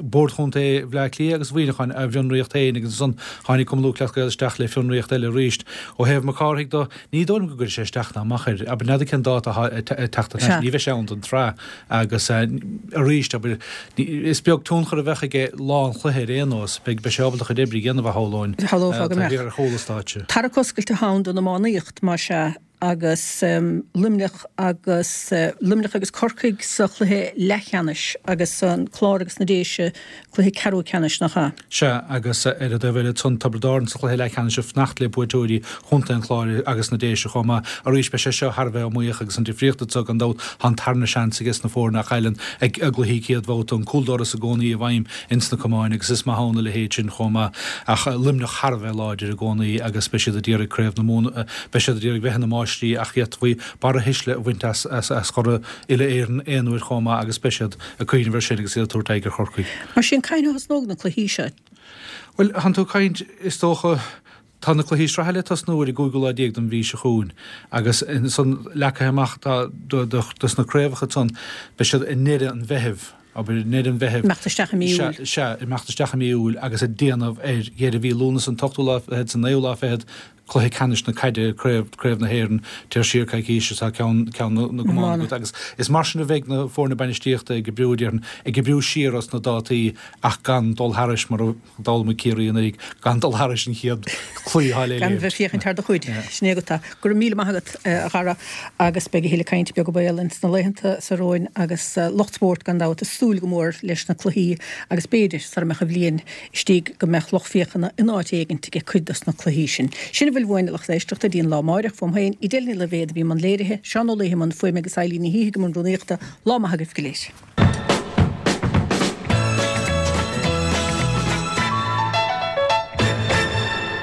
Bord Chontae Bhaile Átha Cliath agus Mhuineacháin a bhfionraíocht féin agus ansan tháinig Cumann Lúthchleas Gael isteach le fionraíocht eile arís. Ó thaobh Mac Cárthaigh de, ní dóigh liom go gcuirfidh sé isteach ná amach air. Abair, n'fheadar cén dáta atá ag teacht thar n-ais, ní bheidh sé ann don tsraith agus arís, abair, is beag tionchar a bheadh aige lá an chluiche ar aon nós. Beidh sé ábalta a chuid oibre a dhéanamh, a shamhlóinn, Shamhlófá go taobh mbeadh. thiar ar chúl an stáitse. Tarrac oscailte atá ann don iománaíocht, más ea. agus Luimneach agus Luimneach agus Corcaigh sa chluiche leathcheannais agus an Clár agus na Déise cluiche ceathrú ceannais, nach ea? Sea, agus ar an dtaobh eile ansan Tiobraid Árann sa chluiche leathcheannais ag fanacht le buaiteoirí Chontae an Chláir agus na Déise chomh maith. Arís beidh sé seo thar a bheith iomaíoch agus an difríocht anseo gan dabht tá an tarna seans aige sna foirne a chailleann a gcluichí céad bhabhta, an cúldoras i gcónaí i bhfeidhm ins na camáin agus is maith ann a leithéid sin chomh maith ach Luimneach thar a bheith láidir i gcónaí agus beidh siad ag iarraidh Craobh na Mumhan, beidh siad ag iarraidh bheith ina máistrí ach d'fhéadfaí barra thuisle a bhaint as as churaidh uile-Éireann aon uair chomh maith agus beidh siad ag cuimhneamh air sin agus iad ag tabhairt aghaidh ar Chorcaigh. Mar sin, cathain a thosnóidh na cluichí seo? Bhuel, thánn tú ag caint, is dócha, tá na cluichí sraithe le tosnú ar an gcúigiú lá déag den mhí seo chugainn agus ansan leagtha amach tá dos na craobhacha ansan, beidh siad i ndeireadh an Mheithimh. Abair, i ndeireadh an Mheithimh. Imeacht isteach i mí Iúil. Sea, sea, imeacht isteach i mí Iúil agus ag déanamh ar dheireadh mhí Lúnasa, an t-ochtú lá fichead, is an naoú lá fichead, cluiche ceannais na caide, craobh, craobh na hÉireann, téir siar coicís is tá ceann, ceann na, na gcamán agat agus is mar sin a bheidh na foirne bainistíochta ag oibriú, déarfainn, ag oibriú siar os na dátaí ach gan dul thairis mar a d'fhoghlaim Ciarraí anuraidh, gan dul thairis an chéad chluiche atá le Gan bheith ag féachaint thar do chuid. Sin é agat é. Go raibh míle maith agat, a Dhara, agus beidh a thuilleadh cainte beag an baol ins na laethanta so romhainn agus lucht spóirt gan dabht ag súil go mór leis na cluichí agus b'fhéidir sara mbeadh an bhliain istigh go mbeadh lucht féachana in áit éigint ag cuid dos na cluichí sin. Sin a bhfuil uainn a lucht éisteachta dtí an lá amáireach. Fúm féin, Edel Ní Loibhéad a bhí i mbun léirithe, Seán Ó Laoithe i mbun fuaime agus Eileen Ní Shíthigh i mbun rúnaíochta. Lá maith agaibh go léir.